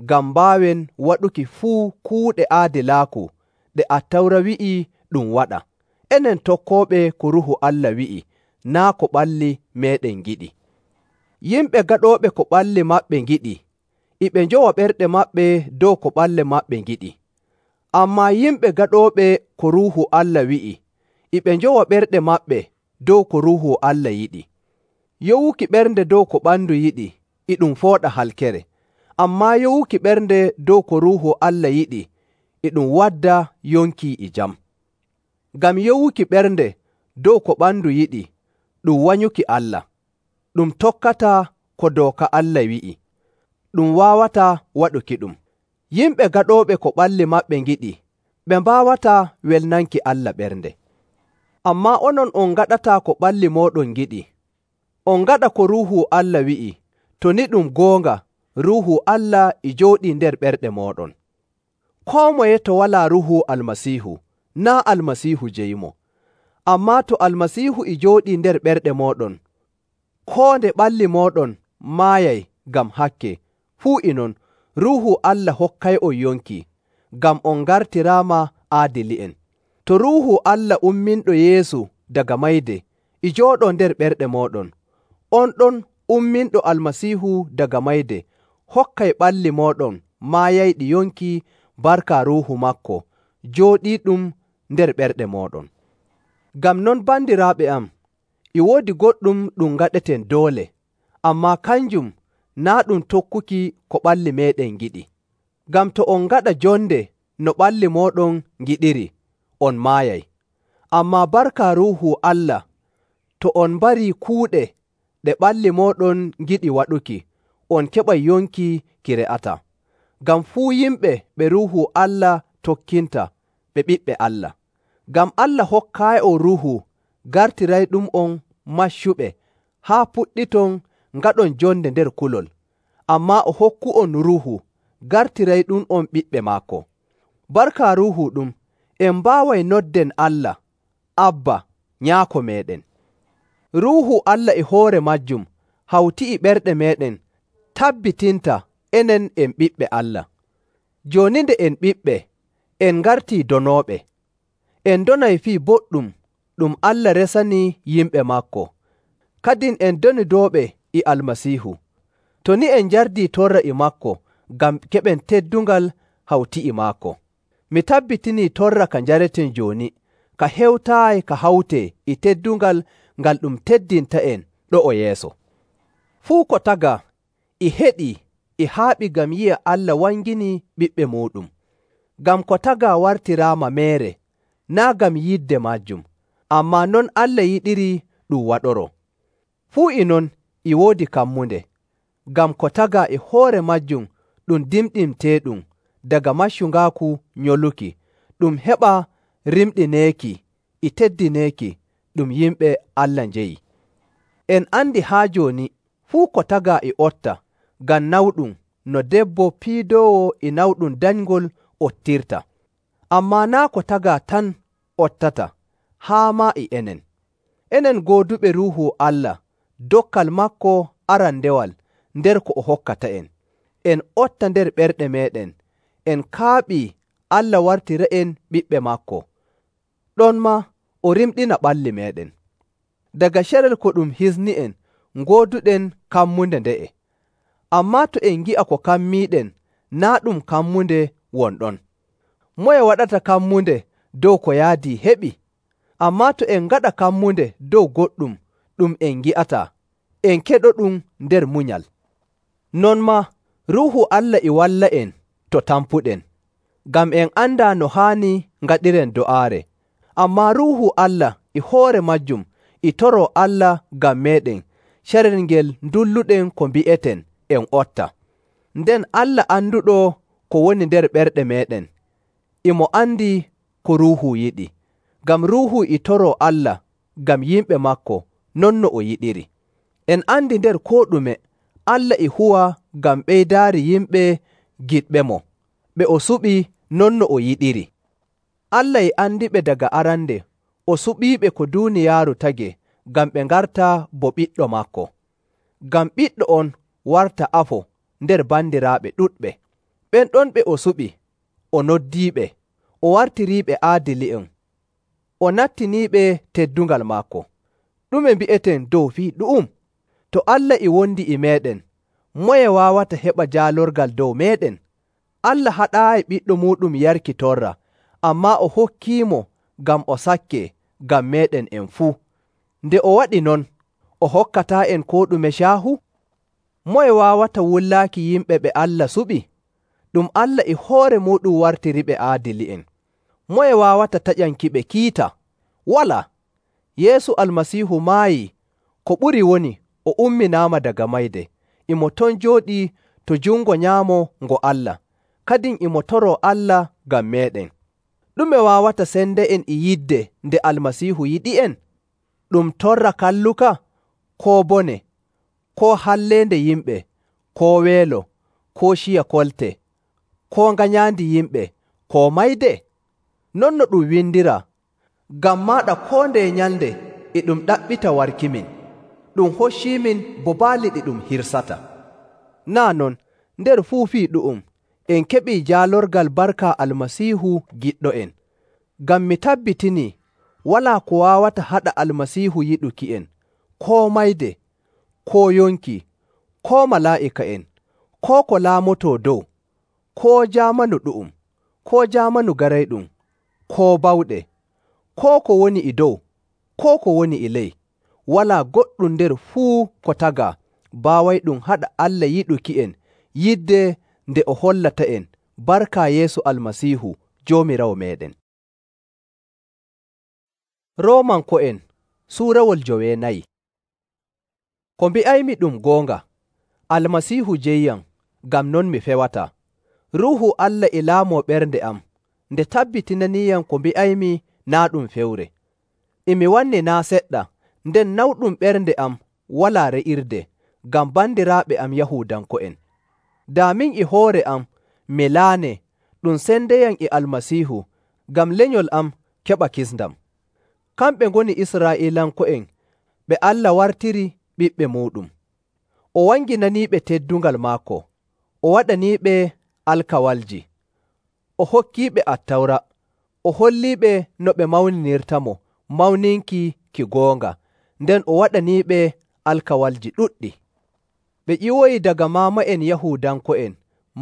ngam mbaawen waɗuki fuu kuuɗe aadilaaku ɗe Attawra wi'i ɗum waɗa. Enen tokkooɓe ko Ruuhu Allah wi'i, naa' ko ɓalli meeɗen ngiɗi. Yimɓe gaɗooɓe ko ɓalli maɓɓe ngiɗi, e ɓe njowa ɓerɗe maɓɓe dow ko ɓalle maɓɓe ngiɗi. Ammaa yimɓe gaɗooɓe ko Ruuhu Allah wi'i, e ɓe njowa ɓerɗe maɓɓe dow ko Ruuhu Allah yiɗi. Yowuki ɓernde dow ko ɓandu yiɗi e ɗum fooɗa halkere, ammaa yowuki ɓernde dow ko Ruuhu Allah yiɗi e ɗum wadda yonki e jam. Ngam yowuki ɓernde dow ko ɓandu yiɗi ɗum wanyuki Allah, ɗum tokkataa ko dooka Allah wi'i, ɗum waawataa waɗukiɗum. Yimɓe gaɗooɓe ko ɓalli maɓɓe ngiɗi, ɓe mbaawataa welnanki Allah ɓernde. Ammaa onon on ngaɗataa ko ɓalli mooɗon ngiɗi. On ngaɗa ko Ruuhu Allah wi'i, to ni ɗum goonga, Ruuhu Allah e jooɗii nder ɓerɗe mooɗon. Koo moye to walaa Ruuhu Almasiihu, naa' Almasiihu jeyimo. Ammaa to Almasiihu e jooɗii nder ɓerɗe mooɗon, koo nde ɓalli mooɗon maayay ngam hakke, fuu e non Ruuhu Allah hokkay'on yonki, ngam on ngartiraama aadili'en. To Ruuhu Allah umminɗo Yeesu daga mayde e jooɗoo nder ɓerɗe mooɗon, on ɗon umminɗo Almasiihu daga mayde hokkay ɓalli mooɗon maayayɗi yonki barka Ruuhu maako jooɗiiɗum nder ɓerɗe mooɗon. Ngam non bandiraaɓe am, e woodi goɗɗum ɗum ngaɗeten doole, ammaa kanjum naa' ɗum tokkuki ko ɓalli meeɗen ngiɗi. Ngam to on ngaɗa jonde no ɓalli mooɗon ngiɗiri, on maayay. Ammaa barka Ruuhu Allah, to on mbarii kuuɗe ɗe ɓalli mooɗon ngiɗi waɗuki, on keɓay yonki ki re'ataa. Ngam fuu yimɓe ɓe Ruuhu Allah tokkinta ɓe ɓiɓɓe Allah. Ngam Allah hokkaayi'on Ruuhu gartirayɗum'on maccuɓe haa puɗɗiton ngaɗon jonde nder kulol, ammaa o hokku'on Ruuhu gartirayɗum'on ɓiɓɓe maako. Barka Ruuhu ɗum, en mbaaway nodden Allah, Abba, Nyaako meeɗen. Ruuhu Allah e hoore majjum hawti e ɓerɗe meeɗen tabbitinta enen en ɓiɓɓe Allah. Jooni nde en ɓiɓɓe, en ngartii donooɓe. En donay fii boɗɗum ɗum Allah resanii yimɓe maako. Kadin en donidooɓe e Almasiihu. To ni en njardii torra e maako ngam keɓen teddungal hawti e maako. Mi tabbitinii torra ka njareten jooni, ka hewtaayi ka hawtee e teddungal ngal ɗum teddinta'en ɗo'o yeeso. Fuu ko tagaa e heɗii e haaɓi ngam yi'a Allah wanginii ɓiɓɓe muuɗum. Ngam ko tagaa wartiraama meere, naa' ngam yidde maajum, ammaa non Allah yiɗiri ɗum waɗoroo. Fuu e non e woodi kammunde, ngam ko tagaa e hoore majjum ɗum dimɗinteeɗum daga maccungaaku nyoluki, ɗum heɓa rimɗineeki e teddineeki ɗum yimɓe Allah njeyi. En andi haa jooni fuu ko tagaa e otta ngam nawɗum no debbo piidoowo e nawɗum danyngol ottirta. Ammaa naa' ko tagaa tan ottata, haa maa e enen. Enen gooduɓe Ruuhu Allah, dokkal maako arandewal nder ko o hokkata'en. En otta nder ɓerɗe meeɗen, en kaaɓii Allah wartira'en ɓiɓɓe maako. Ɗonmaa o rimɗina ɓalli meeɗen. Daga carel ko ɗum hisni'en ngooduɗen kammunde nde'e. Ammaa to en ngi'a ko kammiiɗen naa' ɗum kammunde wonɗon. Moye waɗata kammunde dow ko yaadii heɓi? Ammaa to en ngaɗa kammunde dow goɗɗum ɗum en ngi'ataa, en keɗoɗum nder munyal. Non maa Ruuhu Allah e walla'en to tampuɗen, ngam en andaa no haani ngaɗiren do'aare. Ammaa Ruuhu Allah e hoore majjum e toroo Allah ngam meeɗen carel ngel ndulluɗen ko mbi'eten en otta. Nden Allah anduɗo ko woni nder ɓerɗe meeɗen, e mo andi ko Ruuhu yiɗi, ngam Ruuhu e toroo Allah ngam yimɓe maako non no o yiɗiri. En andi nder koo ɗume Allah e huwa ngam ɓeydaari yimɓe giɗɓemo, ɓe o suɓi non no o yiɗiri. Allah e andiɓe daga arande, o suɓiiɓe ko duuniyaaru tage ngam ɓe ngarta bo ɓiɗɗo maako. Ngam ɓiɗɗo on warta afo nder bandiraaɓe ɗuɗɓe. Ɓen ɗon ɓe o suɓi, o noddiiɓe, o wartiriiɓe aadili'en, o nattiniiɓe teddungal maako. Ɗume mbi'eten dow fii ɗu'um? To Allah e wondi e meeɗen, moye waawata heɓa jaalorgal dow meeɗen? Allah haɗaayi ɓiɗɗo muuɗum yarki torra ammaa o hokkiimo ngam o sakke ngam meeɗen en fuu. Nde o waɗi non, o hokkataa'en koo ɗume caahu? Moye waawata wullaaki yimɓe ɓe Allah suɓi? Ɗum Allah e hoore muuɗum wartiriɓe aadili'en. Moye waawata taƴankiɓe kiita? Walaa. Yeesu Almasiihu maayii, ko ɓuri woni o umminaama daga mayde, imo ton jooɗii to jungo nyaamo ngo Allah, kadin imo toroo Allah ngam meeɗen. Ɗume waawata sende'en e yidde nde Almasiihu yiɗi'en? Ɗum torra kalluka, koo bone, koo halleende yimɓe, koo weelo, koo ciya kolte, koo nganyaandi yimɓe, koo mayde? Non no ɗum windiraa, ngam maaɗa koo ndeye nyalnde e ɗum ɗaɓɓita warkimin, ɗum hocciimin bo baali ɗi ɗum hirsata. Naa non, nder fuu fii ɗu'um, en keɓii jaalorgal barka Almasiihu giɗɗo'en. Ngam mi tabbitinii walaa ko waawata haɗa Almasiihu yiɗuki'en, koo mayde, koo yonki, koo malaa'ika'en, koo ko laamotoo dow, koo jaamanu ɗu'um, koo jaamanu garayɗum, koo bawɗe, koo ko woni e dow, koo ko woni e ley. Walaa goɗɗum nder fuu ko tagaa baawayɗum haɗa Allah yiɗuki'en yidde nde o hollata'en barka Yeesu Almasiihu Joomiraawo meeɗen. Roomanko'en suurawol joweenayi. Ko mbi'aymi ɗum goonga, Almasiihu jeyyam, ngam non mi fewataa. Ruuhu Allah e laamoo ɓernde am, nde tabbitinaniiyam ko mbi'aymi naa ɗum fewre. E mi wanni naa seɗɗa, nden nawɗum ɓernde am walaa re'irde, ngam bandiraaɓe am Yahuudanko'en. Daa min e hoore am mi laane ɗum sendeyam e Almasiihu, ngam lenyol am keɓa kisndam. Kamɓe ngoni Israa'iilanko'en ɓe Allah wartiri ɓiɓɓe muuɗum. O wanginaniiɓe teddungal maako, o waɗaniiɓe alkawalji, o hokkiiɓe Attawra, o holliiɓe no ɓe mawninirtamo mawninki ki goonga, nden o waɗaniiɓe alkawalji ɗuɗɗi. Ɓe ƴiwoyi daga maama'en Yahuudanko'en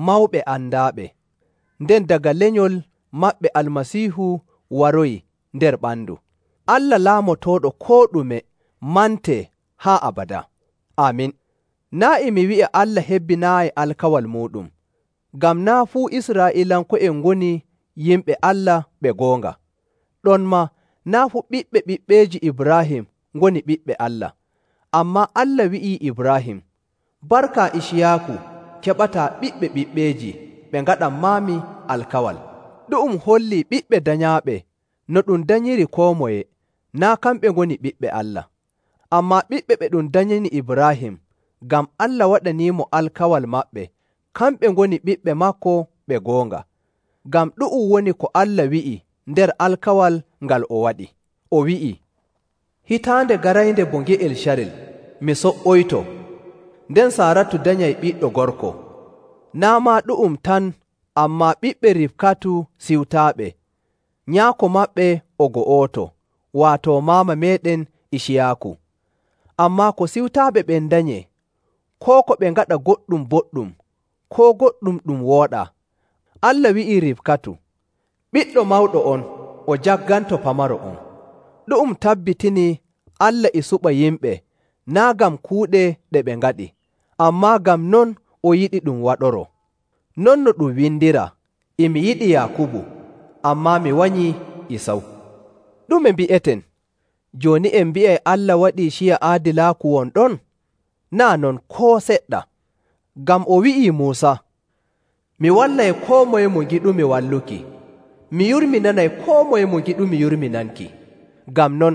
mawɓe andaaɓe, nden daga lenyol maɓɓe Almasiihu waroyi nder ɓandu. Allah laamotooɗo koo ɗume mantee haa abada. Aamin. Naa' e mi wi'a Allah hebbinaayi alkawal muuɗum, ngam naa' fuu Israa'iilanko'en ngoni yimɓe Allah ɓe goonga. Ɗonmaa naa' fuu ɓiɓɓe ɓiɓɓeeji Ibraahim ngoni ɓiɓɓe Allah. Ammaa Allah wi'ii Ibraahim, barka Iciyaaku keɓataa ɓiɓɓe ɓiɓɓeeji ɓe ngaɗanmaami alkawal. Ɗu'um hollii ɓiɓɓe danyaaɓe no ɗum danyiri koo moye, naa' kamɓe ngoni ɓiɓɓe Allah. Ammaa ɓiɓɓe ɓe ɗum danyani Ibraahim, ngam Allah waɗaniimo alkawal maɓɓe, kamɓe ngoni ɓiɓɓe maako ɓe goonga. Ngam ɗu'um woni ko Allah wi'i nder alkawal ngal o waɗi. O wi'i, hitaande garaynde bo nge'el carel, mi so''oyto, nden Saaratu danyay ɓiɗɗo gorko. Naa' maa ɗu'um tan, ammaa ɓiɓɓe Rifkatu siwtaaɓe, nyaako maɓɓe o go'oto, waato maama meeɗen Iciyaaku. Ammaa ko siwtaaɓe ɓen danyee, koo ko ɓe ngaɗa goɗɗum boɗɗum, koo goɗɗum ɗum wooɗaa. Allah wi'ii Rifkatu, ɓiɗɗo mawɗo on o jagganto pamaro on. Ɗu'um tabbitinii Allah e suɓa yimɓe, naa' ngam kuuɗe ɗe ɓe ngaɗi, ammaa ngam non o yiɗi ɗum waɗoroo. Non no ɗum windiraa, e mi yiɗi Yaakubu, ammaa mi wanyii Isaw. Ɗume mbi'eten? Jooni en mbi'ay Allah waɗii ciya aadilaaku won ɗon? Naa' non koo seɗɗa. Ngam o wi'ii Muusa, mi wallay koo moye mo ngiɗumi walluki, mi yurminanay koo moye mo ngiɗumi yurminanki. Ngam non,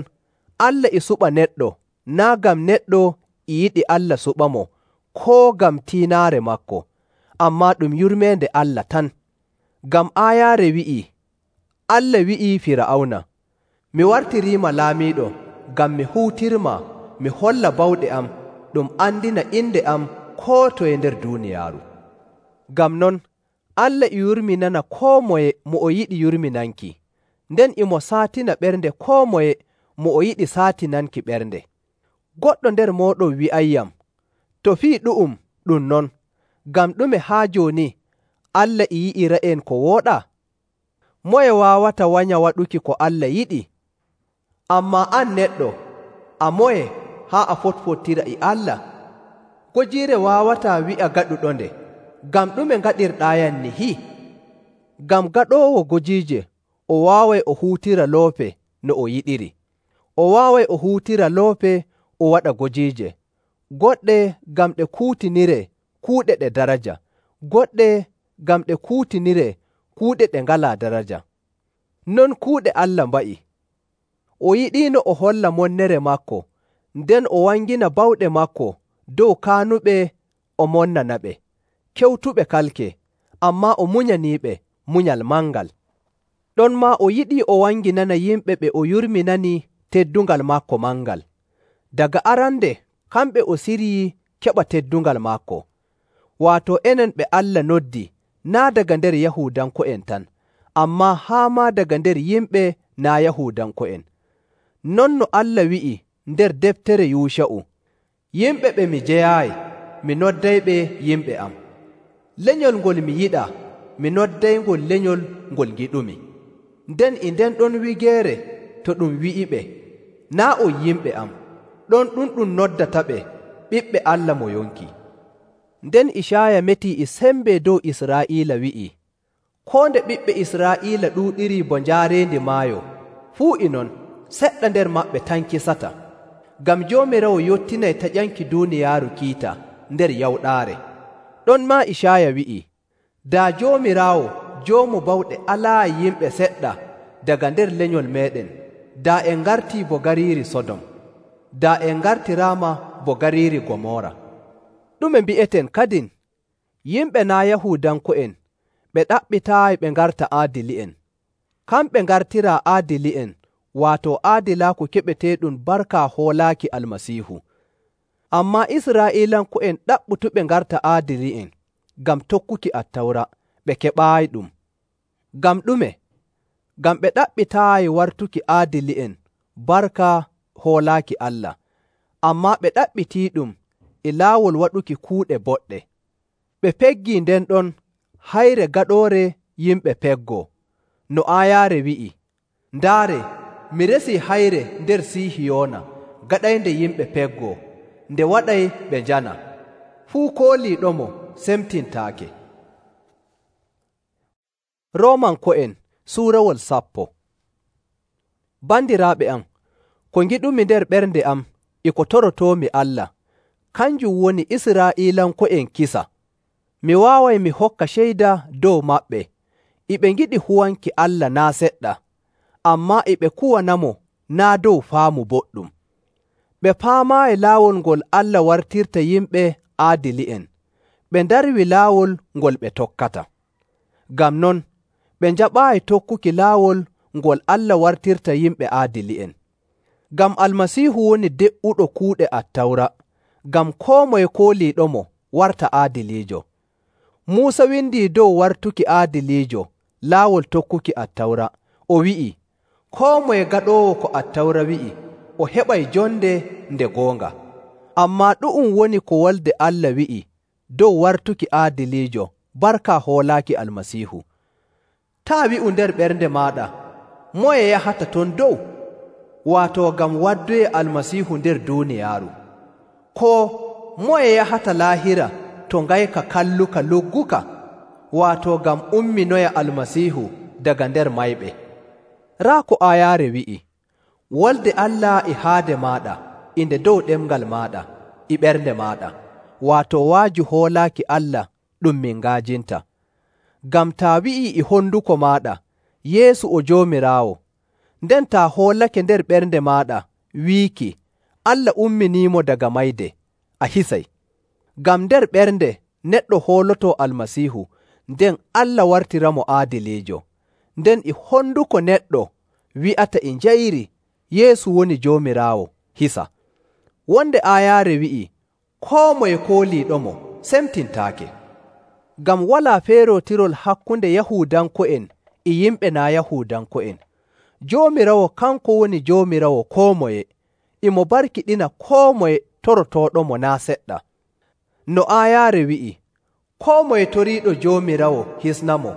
Allah e suɓa neɗɗo, naa' ngam neɗɗo e yiɗi Allah suɓamo, koo ngam tiinaare maako, ammaa ɗum yurmeende Allah tan. Ngam aayaare wi'ii, Allah wi'ii Fir'awna, mi wartiriima laamiiɗo ngam mi huutirmaa mi holla bawɗe am ɗum andina inde am koo toye nder duuniyaaru. Ngam non, Allah e yurminana koo moye mo o yiɗi yurminanki, nden imo saatina ɓernde koo moye mo o yiɗi saatinanki ɓernde. Goɗɗo nder mooɗon wi'ayyam, to fii ɗu'um ɗum non, ngam ɗume haa jooni Allah e yi'ira'en ko wooɗaa? Moye waawata wanya waɗuki ko Allah yiɗi? Ammaa an neɗɗo, a moye haa a fotfottira e Allah? Gojiire waawataa wi'a gaɗuɗonde, ngam ɗume ngaɗirɗaayam nihi? Ngam gaɗoowo gojiije o waaway o huutira loope no o yiɗiri. O waaway o huutira loope o waɗa gojiije, goɗɗe ngam ɗe kuutiniree kuuɗe ɗe daraja, goɗɗe ngam ɗe kuutiniree kuuɗe ɗe ngalaa daraja. Non kuuɗe Allah mba'i. O yiɗiino o holla monnere maako, nden o wangina bawɗe maako dow kaanuɓe o monnanaɓe, kewtuɓe kalke, ammaa o munyaniiɓe munyal mangal. Ɗonmaa o yiɗii o wanginana yimɓe ɓe o yurminani teddungal maako mangal. Daga arande kamɓe o siryii keɓa teddungal maako, waato enen ɓe Allah noddi naa' daga nder Yahuudanko'en tan, ammaa haa maa daga nder yimɓe naa' Yahuudanko'en. Non no Allah wi'i nder deftere Yuusha'u, yimɓe ɓe mi jeyaayi, mi noddayɓe yimɓe am. Lenyol ngol mi yiɗaa, mi noddaygol lenyol ngol ngiɗumi. Nden e nden ɗon wigeere to ɗum wi'iɓe, naa' on yimɓe am, ɗon ɗum ɗum noddataɓe ɓiɓɓe Allah mo yonki. Nden Icaaya metii e sembe dow Israa'iila wi'i, koo nde ɓiɓɓe Israa'iila ɗuuɗirii bo njaareendi maayo, fuu e non seɗɗa nder maɓɓe tan kisata. Ngam Joomiraawo yottinay taƴanki duuniyaaru kiita nder yawɗaare. Ɗonmaa Icaaya wi'i, daa Joomiraawo Joomu bawɗe alaayi yimɓe seɗɗa daga nder lenyol meeɗen, daa en ngartii bo gariiri Sodom, daa en ngartiraama bo gariiri Gomora. Ɗume mbi'eten kadin? Yimɓe naa' Yahuudanko'en ɓe ɗaɓɓitaayi ɓe ngarta aadili'en. Kamɓe ngartiraa aadili'en, waato aadilaaku keɓeteeɗum barka hoolaaki Almasiihu. Ammaa Israa'iilanko'en ɗaɓɓutuɓe ngarta aadili'en ngam tokkuki Attawra, ɓe keɓaayiɗum. Ngam ɗume? Ngam ɓe ɗaɓɓitaayi wartuki aadili'en barka hoolaaki Allah, ammaa ɓe ɗaɓɓitiiɗum e laawol waɗuki kuuɗe boɗɗe. Ɓe peggii nden ɗon hayre gaɗoore yimɓe peggoo, no aayaare wi'i, ndaare, mi resii hayre nder Sihiyoona gaɗaynde yimɓe peggoo, nde waɗay ɓe njana, fuu kooliiɗomo semtintaake. Roomanko'en suurawol sappo. Bandiraaɓe am, ko ngiɗumi nder ɓernde am e ko torotoomi Allah, kanjum woni Israa'iilanko'en kisa. Mi waaway mi hokka ceyda dow maɓɓe, e ɓe ngiɗi huwanki Allah naa' seɗɗa, ammaa e ɓe kuwanamo naa' dow faamu boɗɗum. Ɓe paamaayi laawol ngol Allah wartirta yimɓe aadili'en, ɓe ndarwi laawol ngol ɓe tokkata. Ngam non, ɓe njaɓaayi tokkuki laawol ngol Allah wartirta yimɓe aadili'en. Ngam Almasiihu woni de'uɗo kuuɗe Attawra, ngam koo moye kooliiɗomo warta aadiliijo. Muusa windii dow wartuki aadiliijo laawol tokkuki Attawra, o wi'i, koo moye gaɗoowo ko Attawra wi'i, o heɓay jonde nde goonga. Ammaa ɗu'um woni ko Wolde Allah wi'i dow wartuki aadiliijo barka hoolaaki Almasiihu. Taa wi'u nder ɓernde maaɗa, moye yahata ton dow? Waato ngam waddoye Almasiihu nder duuniyaaru. Koo moye yahata laahira to ngayka kalluka lugguka? Waato ngam umminoya Almasiihu daga nder mayɓe. Raa ko aayaare wi'i, Wolde Allah e haade maaɗa, inde dow ɗemngal maaɗa, e ɓernde maaɗa, waato waaju hoolaaki Allah ɗum min ngaajinta. Ngam taa wi'ii e honduko maaɗa, Yeesu o Joomiraawo, nden taa hoolake nder ɓernde maaɗa wiiki, Allah umminiimo daga mayde, a hisay. Ngam nder ɓernde neɗɗo hoolotoo Almasiihu, nden Allah wartiramo aadiliijo. Nden e honduko neɗɗo wi'ata e njayri Yeesu woni Joomiraawo, hisa. Wonde aayaare wi'i, koo moye kooliiɗomo semtintaake. Ngam walaa feerootirol hakkunde Yahuudanko'en e yimɓe naa' Yahuudanko'en. Joomiraawo kanko woni Joomiraawo koo moye, e mo barkiɗina koo moye torotooɗomo naa' seɗɗa. No aayaare wi'i, koo moye toriiɗo Joomiraawo hisnamo,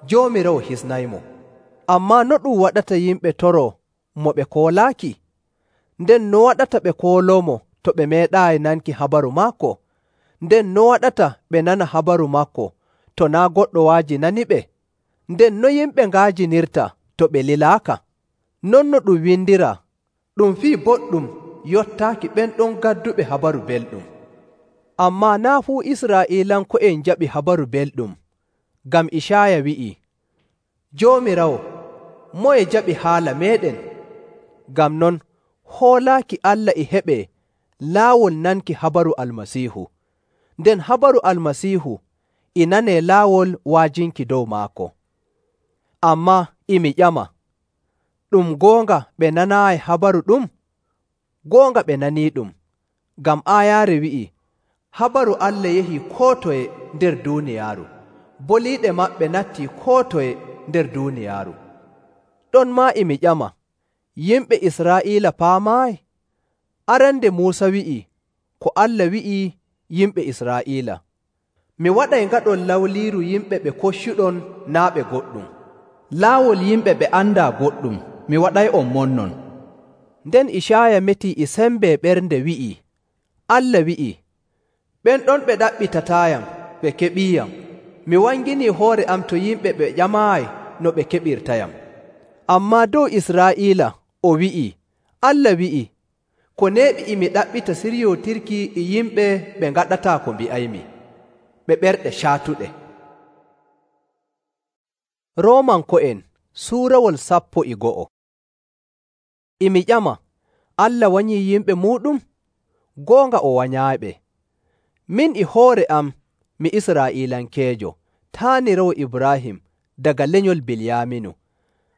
Joomiraawo hisnaymo. Ammaa no ɗum waɗata yimɓe toroo mo ɓe koolaaki? Nden no waɗata ɓe kooloomo to ɓe meeɗaayi nanki habaru maako? Nden no waɗata ɓe nana habaru maako to naa' goɗɗo waaji naniɓe? Nden no yimɓe nga'ajinirta to ɓe lilaaka? Non no ɗum windiraa, ɗum fii boɗɗum yottaaki ɓen ɗon gadduɓe habaru belɗum. Ammaa naa' fuu Israa'iilanko'en njaɓi habaru belɗum, ngam Icaaya wi'ii, “Joomiraawo, moye jaɓi haala meeɗen?” Ngam non, hoolaaki Allah e heɓee laawol nanki habaru Almasiihu, nden habaru Almasiihu e nanee laawol wa'ajinki dow maako. Ammaa e mi ƴama, ɗum goonga ɓe nanaayi habaru ɗum? Goonga ɓe naniiɗum, ngam aayaare wi'ii, “Habaru Allah yahii koo toye nder duuniyaaru, boliiɗe maɓɓe nattii koo toye nder duuniyaaru.” Ɗonmaa e mi ƴama, yimɓe Israa'iila paamaayi? Arande Muusa wi'ii ko Allah wi'ii yimɓe Israa'iila, “Mi waɗay ngaɗon lawliiru yimɓe ɓe koccuɗon naa' ɓe goɗɗum, laawol yimɓe ɓe andaa goɗɗum mi waɗay'on monnon.” Nden Icaaya metii e sembe ɓernde wi'ii, Allah wi'ii, “Ɓen ɗon ɓe ɗaɓɓitataayam ɓe keɓiiyam, mi wanginii hoore am to yimɓe ɓe ƴamaayi no ɓe keɓirtayam.” Ammaa dow Israa'iila o wi'ii, Allah wi'ii, “Ko neeɓi e mi ɗaɓɓita siryootirki e yimɓe ɓe ngaɗataa ko mbi'aymi, ɓe ɓerɗe caatuɗe.” Roomanko'en suurawol sappo e go'o. E mi ƴama, Allah wanyii yimɓe muuɗum? Goonga o wanyaayiɓe. Min e hoore am mi Israa'iilankeejo, taaniraawo Ibraahim daga lenyol Bilyaaminu.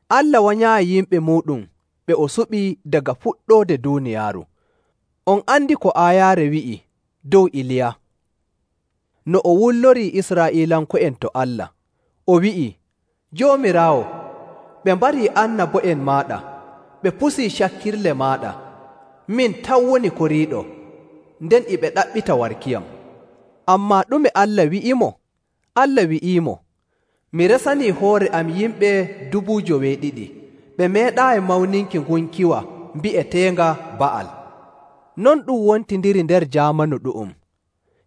Allah wanyaayi yimɓe muuɗum ɓe o suɓii daga fuɗɗoode duuniyaaru. On andi ko aayaare wi'i dow Iliya, no o wullorii Israa'iilanko'en to Allah. O wi'ii, “Joomiraawo, ɓe mbarii annabo'en maaɗa, ɓe pusii cakkirle maaɗa. Min tan woni koriiɗo, nden e ɓe ɗaɓɓita warkiyam.” Ammaa ɗume Allah wi'imo? Allah wi'iimo, “Mi resanii hoore am yimɓe dubu joweeɗiɗi, ɓe meeɗaayi mawninki ngunkiwa mbi'eteenga Ba'al.” Non ɗum wontindiri nder jaamanu ɗu'um.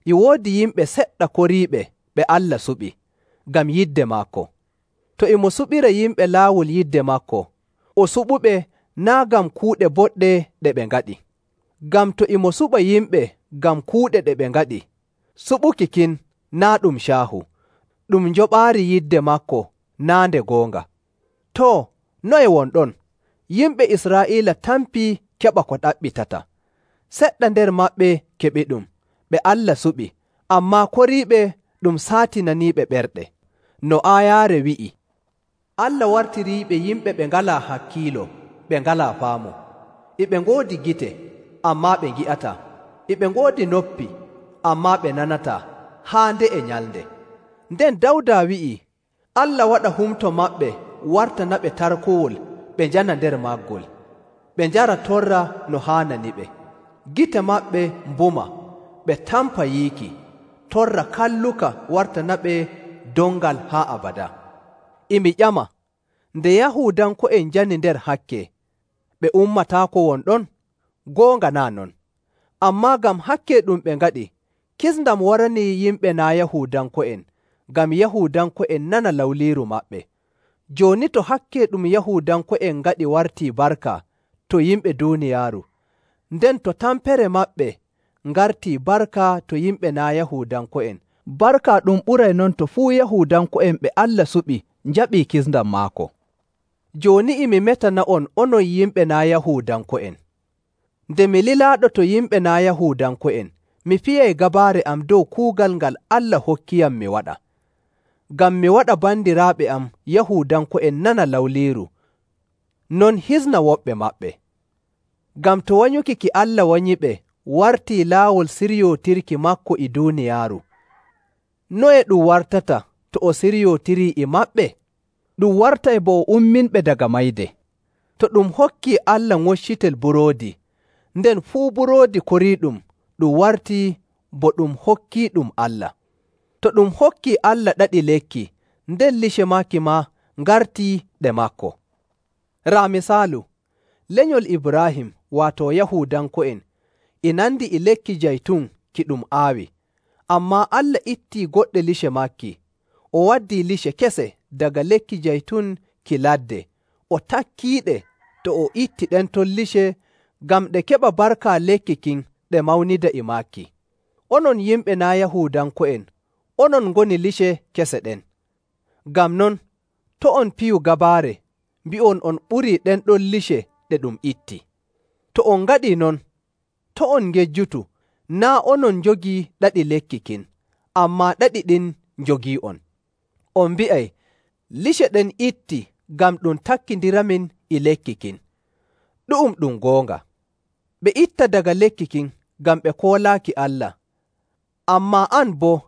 E woodi yimɓe seɗɗa koriiɓe ɓe Allah suɓi, ngam yidde maako. To e mo suɓira yimɓe laawol yidde maako, o suɓuɓe naa' ngam kuuɗe boɗɗe ɗe ɓe ngaɗi. Ngam to e mo suɓa yimɓe ngam kuuɗe ɗe ɓe ngaɗi, suɓuki kin naa' ɗum caahu, ɗum njoɓaari yidde maako naa' nde goonga. Too, noye wonɗon? Yimɓe Israa'iila tampii keɓa ko ɗaɓɓitata. Seɗɗa nder maɓɓe keɓiɗum, ɓe Allah suɓi, ammaa koriiɓe ɗum saatinaniiɓe ɓerɗe. No aayaare wi'i, Allah wartiriiɓe yimɓe ɓe ngalaa hakkiilo, ɓe ngalaa faamu. E ɓe ngoodi gite, ammaa ɓe ngi'ataa. E ɓe ngoodi noppi, ammaa ɓe nanataa, haa nde e nyalnde. Nden Dawda wi'ii, Allah waɗa humto maɓɓe wartanaɓe tarkowol ɓe njana nder maggol, ɓe njara torra no haananiɓe. Gite maɓɓe mbuma, ɓe tampa yiiki, torra kalluka wartanaɓe dongal haa abada. E mi ƴama, nde Yahuudanko'en njani nder hakke, ɓe ummataako wonɗon? Goonga naa' non. Ammaa ngam hakke ɗum ɓe ngaɗi, kisndam waranii yimɓe naa' Yahuudanko'en, ngam Yahuudanko'en nana lawliiru maɓɓe. Jooni to hakke ɗum Yahuudanko'en ngaɗi wartii barka to yimɓe duuniyaaru, nden to tampere maɓɓe ngartii barka to yimɓe naa' Yahuudanko'en, barka ɗum ɓuray non to fuu Yahuudanko'en ɓe Allah suɓi njaɓii kisndam maako. Jooni e mi metana'on onon yimɓe naa' Yahuudanko'en. Nde mi lilaaɗo to yimɓe naa' Yahuudanko'en, mi fiyay gabaare am dow kuugal ngal Allah hokkiyam mi waɗa, ngam mi waɗa bandiraaɓe am Yahuudanko'en nana lawliiru, non hisna woɓɓe maɓɓe. Ngam to wanyuki ki Allah wanyiɓe wartii laawol siryootirki maako e duuniyaaru, noye ɗum wartata to o siryootirii e maɓɓe? Ɗum wartay bo o umminɓe daga mayde. To ɗum hokkii Allah ŋoccitel buroodi, nden fuu buroodi koriiɗum ɗum wartii bo ɗum hokkiiɗum Allah. To ɗum hokkii Allah ɗaɗi lekki, nden lice maaki maa ngartii ɗe maako. Raa misaalu, lenyol Ibraahim waato Yahuudanko'en e nandi e lekki jaytun ki ɗum aawi, ammaa Allah ittii goɗɗe lice maaki, o waddii lice kese daga lekki jaytun ki ladde, o takkiiɗe to o itti ɗen ton lice ngam ɗe keɓa barka lekki kin ɗe mawnida e maaki. Onon yimɓe naa' Yahuudanko'en, onon ngoni lice kese ɗen. Ngam non, to' on piyu gabaare mbi'on on ɓurii ɗen ɗon lice ɗe ɗum itti. To on ngaɗii non, to' on ngejjutu, naa' onon njogii ɗaɗi lekki kin, ammaa ɗaɗi ɗin njogii'on. On mbi'ay, lice ɗen itti ngam ɗum takkindiramin e lekki kin. Ɗu'um ɗum goonga. Ɓe itta daga lekki kin ngam ɓe koolaaki Allah, ammaa an boo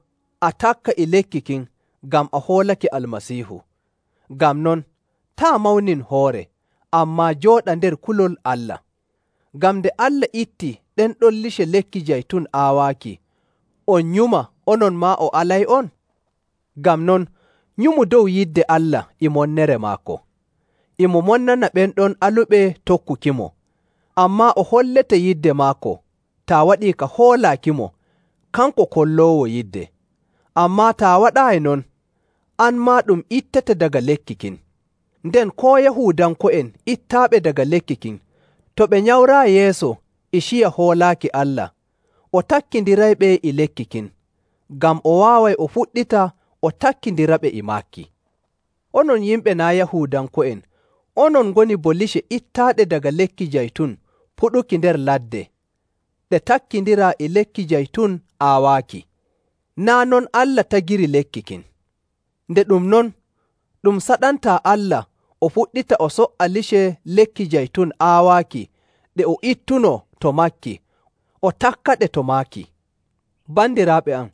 a takka e lekki kin ngam a hoolake Almasiihu. Ngam non, taa mawnin hoore, ammaa jooɗa nder kulol Allah. Ngam nde Allah itti ɗen ɗon lice lekki jaytun aawaaki, on nyuma onon maa o alay'on? Ngam non, nyumu dow yidde Allah e monnere maako. E mo monnana ɓen ɗon aluɓe tokkukimo, ammaa o hollete yidde maako taa waɗii ka hoolaakimo, kanko kolloowo yidde. Ammaa taa waɗaayi non, an maa ɗum ittete daga lekki kin. Nden koo Yahuudanko'en ittaaɓe daga lekki kin, to ɓe nyawraa yeeso e ciya hoolaaki Allah, o takkindirayɓe e lekki kin, ngam o waaway o fuɗɗita o takkindiraɓe e maaki. Onon yimɓe naa' Yahuudanko'en, onon ngoni bo lice ittaaɗe daga lekki jaytun puɗuki nder ladde, ɗe takkindiraa e lekki jaytun aawaaki. Naa' non Allah tagiri lekki kin. Nde ɗum non, ɗum saɗantaa Allah o fuɗɗita o so''a lice lekki jaytun aawaaki ɗe o ittunoo to maaki, o takkaɗe to maaki. Bandiraaɓe am,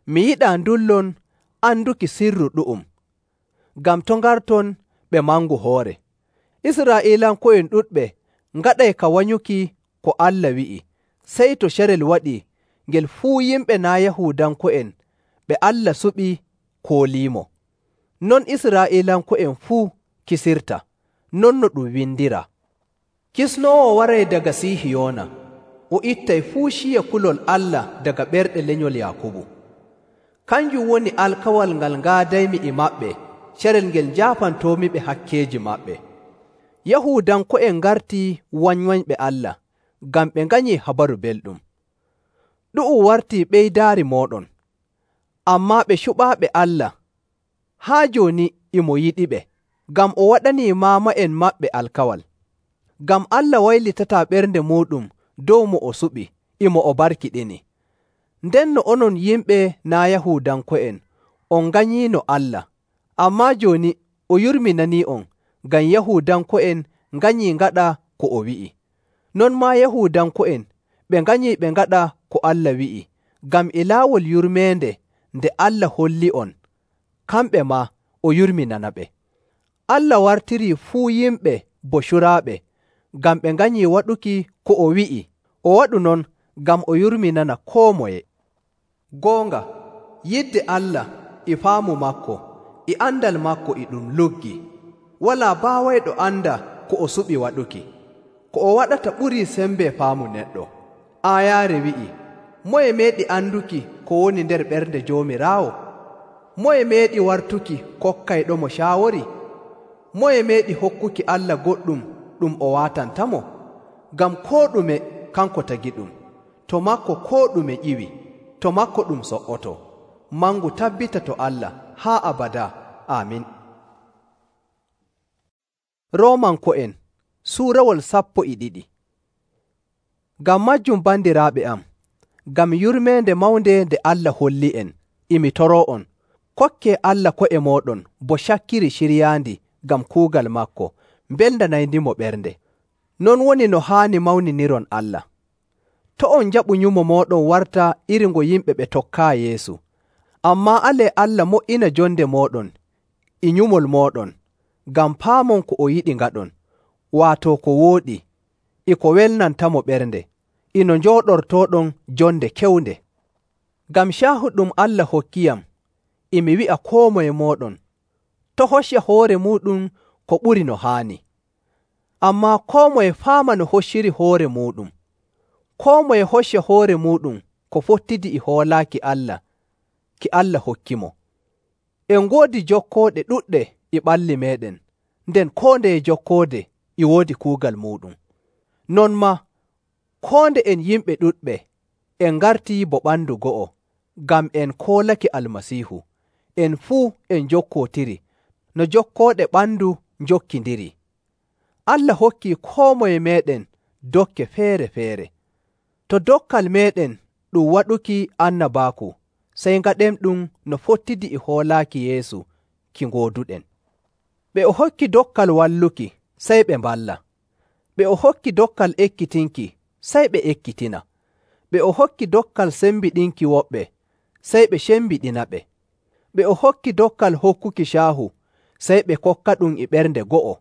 mi yiɗaa ndullon anduki sirru ɗu'um, ngam to ngarton ɓe mangu hoore. Israa'iilanko'en ɗuɗɓe ngaɗay ka wanyuki ko Allah wi'i, sey to carel waɗii ngel fuu yimɓe naa' Yahuudanko'en ɓe Allah suɓi kooliimo. Non Israa'iilanko'en fuu kisirta, non no ɗum windiraa. Kisnoowo waray daga Sihiyoona, o ittay fuu ciya kulol Allah daga ɓerɗe lenyol Yaakubu. Kanjum woni alkawal ngal ngaadaymi e maɓɓe, carel ngel njaafantoomiɓe hakkeeji maɓɓe. Yahuudanko'en ngartii wanywanyɓe Allah, ngam ɓe nganyii habaru belɗum. Ɗu'um wartii ɓeydaari mooɗon, ammaa ɓe cuɓaaɓe Allah, haa jooni e mo yiɗiɓe, ngam o waɗanii maama'en maɓɓe alkawal. Ngam Allah waylitataa ɓernde muuɗum dow mo o suɓi, e mo o barkiɗini. Ndenno onon yimɓe naa' Yahuudanko'en, on nganyiino Allah, ammaa jooni o yurminanii'on ngam Yahuudanko'en nganyii ngaɗa ko o wi'i. Non maa Yahuudanko'en ɓe nganyii ɓe ngaɗa ko Allah wi'i, ngam e laawol yurmeende nde Allah holli'on, kamɓe maa o yurminanaɓe. Allah wartirii fuu yimɓe bo curaaɓe, ngam ɓe nganyii waɗuki ko o wi'i, o waɗu non ngam o yurminana koo moye. Goonga, yidde Allah e faamu maako e andal maako e ɗum luggi. Walaa baawayɗo anda ko o suɓi waɗuki. Ko o waɗata ɓurii sembe faamu neɗɗo. Aayaare wi'i, moye meeɗi anduki ko woni nder ɓernde Joomiraawo? Moye meeɗi wartuki kokkayɗomo caawori? Moye meeɗi hokkuki Allah goɗɗum ɗum o waatantamo? Ngam koo ɗume kanko tagi ɗum, to makko koo ɗume ƴiwi, to makko ɗum so''oto. Mangu tabbita to Allah haa abada. Aamin. Roomanko'en suurawol sappo e ɗiɗi. Ngam majjum bandiraaɓe am, ngam yurmeende mawnde nde Allah holli'en, imi toroo'on, kokkee Allah ko'e mooɗon bo cakkiri ciryaandi ngam kuugal maako, mbelndanayndimo ɓernde. Non woni no haani mawniniron Allah. To on njaɓu nyumo mooɗon warta iri ngo yimɓe ɓe tokkaa Yeesu. Ammaa alee Allah mo''ina jonde mooɗon e nyumol mooɗon, ngam paamon ko o yiɗi ngaɗon, waato ko wooɗi, e ko welnantamo ɓernde, ino njooɗortooɗon jonde kewnde. Ngam caahu ɗum Allah hokkiyam, emi wi'a koo moye mooɗon, to hocca hoore muuɗum ko ɓuri no haani. Ammaa koo moye faama no hocciri hoore muuɗum. Koo moye hocca hoore muuɗum ko fottidi e hoolaaki Allah ki Allah hokkimo. En ngoodi jokkooɗe ɗuɗɗe e ɓalli meeɗen, nden koo ndeye jokkoode e woodi kuugal muuɗum. Non maa, koo nde en yimɓe ɗuɗɓe en ngartii bo ɓandu go'o, ngam en koolake Almasiihu, en fuu en jokkootiri no jokkooɗe ɓandu njokkindiri. Allah hokkii koo moye meeɗen dokke feere‑feere. To dokkal meeɗen ɗum waɗuki annabaaku, sey ngaɗenɗum no fottidi e hoolaaki Yeesu ki ngooduɗen. Ɓe o hokki dokkal walluki, sey ɓe mballa. Ɓe o hokki dokkal ekkitinki, sey ɓe ekkitina. Ɓe o hokki dokkal sembiɗinki woɓɓe, sey ɓe cembiɗinaɓe. Ɓe o hokki dokkal hokkuki caahu, sey ɓe kokkaɗum e ɓernde go'o.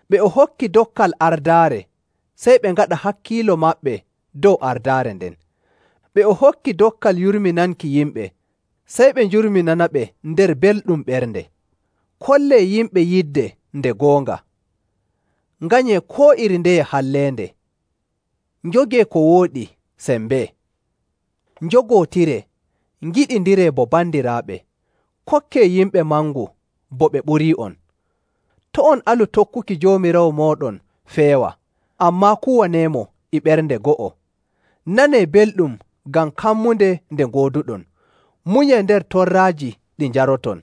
Ɓe o hokki dokkal ardaare, sey ɓe ngaɗa hakkiilo maɓɓe dow ardaare nden. Ɓe o hokki dokkal yurminanki yimɓe, sey ɓe njurminanaɓe nder belɗum ɓernde. Kollee yimɓe yidde nde goonga. Nganyee koo iri ndeye halleende. Njogee ko wooɗi sembee. Njogootiree, ngiɗindiree bo bandiraaɓe. Kokkee yimɓe mangu bo ɓe ɓurii'on. To' on alu tokkuki Joomiraawo mooɗon feewa, ammaa kuwaneemo e ɓernde go'o. Nanee belɗum ngam kammunde nde ngooduɗon. Munyee nder torraaji ɗi njaroton.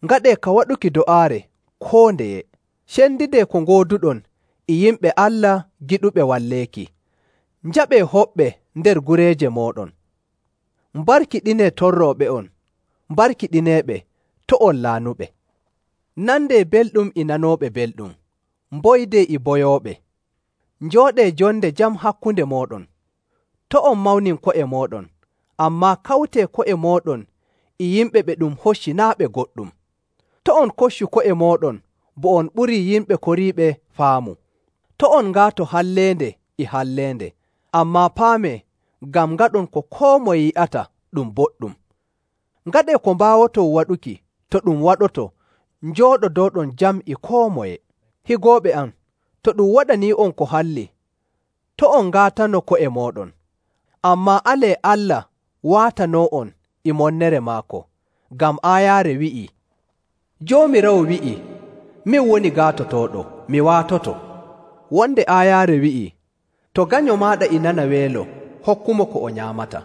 Ngaɗee ka waɗuki do'aare koo ndeye. Cendidee ko ngooduɗon e yimɓe Allah giɗuɓe walleeki. Njaɓee hoɓɓe nder gureeje mooɗon. Mbarkiɗinee torrooɓe'on, mbarkiɗineeɓe, to' on laanuɓe. Nandee belɗum e nanooɓe belɗum, mboydee e boyooɓe. Njooɗee jonde jam hakkunde mooɗon. To' on mawnin ko'e mooɗon, ammaa kawtee ko'e mooɗon e yimɓe ɓe ɗum hoccinaaɓe goɗɗum. To' on koccu ko'e mooɗon bo on ɓurii yimɓe koriiɓe faamu. To' on ngaato halleende e halleende, ammaa paamee ngam ngaɗon ko koo moye yi'ata ɗum boɗɗum. Ngaɗee ko mbaawoton waɗuki to ɗum waɗoto njooɗodooɗon jam e koo moye. Higooɓe am, to ɗum waɗanii'on ko halli, to' on ngaatano ko'e mooɗon, ammaa alee Allah waatanoo'on e monnere maako, ngam aayaare wi'ii, Joomiraawo wi'ii, min woni gaatotooɗo, mi waatoto. Wonde aayaare wi'ii, to ganyo maaɗa e nana weelo, hokkumo ko o nyaamata.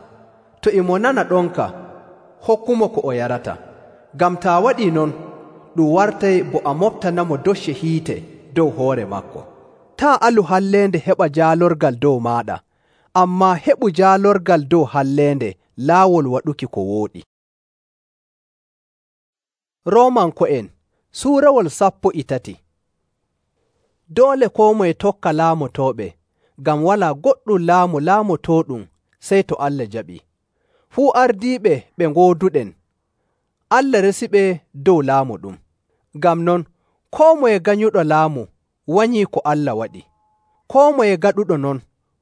To e mo nana ɗonka, hokkumo ko o yarata. Ngam taa waɗii non, ɗum wartay bo a moftanamo docce hiite dow hoore maako. Taa alu halleende heɓa jaalorgal dow maaɗa, ammaa heɓu jaalorgal dow halleende laawol waɗuki ko wooɗi. Roomanko'en suurawol sappo e tati. Doole koo moye tokka laamotooɓe, ngam walaa goɗɗum laamu laamotooɗum sey to Allah jaɓii. Fuu ardiiɓe ɓe ngooduɗen, Allah resiɓe dow laamu ɗum. Ngam non, koo moye ganyuɗo laamu wanyii ko Allah waɗi. Koo moye gaɗuɗo non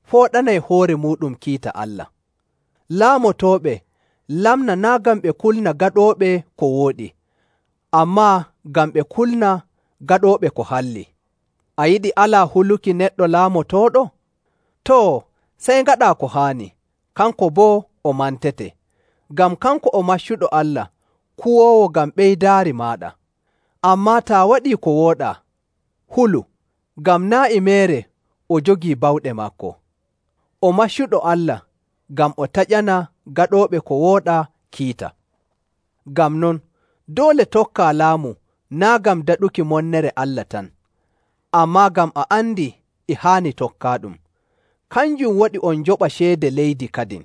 fooɗanay hoore muuɗum kiita Allah. Laamotooɓe lamna naa' ngam ɓe kulna gaɗooɓe ko wooɗi, ammaa ngam ɓe kulna gaɗooɓe ko halli. A yiɗi alaa huluki neɗɗo laamotooɗo? Too, sey ngaɗaa ko haani, kanko boo o mantete, ngam kanko o maccuɗo Allah, kuwoowo ngam ɓeydaari maaɗa. Ammaa taa waɗii ko wooɗaa, hulu, ngam naa' e meere o jogii bawɗe maako. O maccuɗo Allah, ngam o taƴana gaɗooɓe ko wooɗaa kiita. Ngam non, doole tokkaa laamu naa' ngam daɗuki monnere Allah tan, ammaa ngam a andi e haani tokkaaɗum. Kanjum waɗi on njoɓa ceede leydi kadin.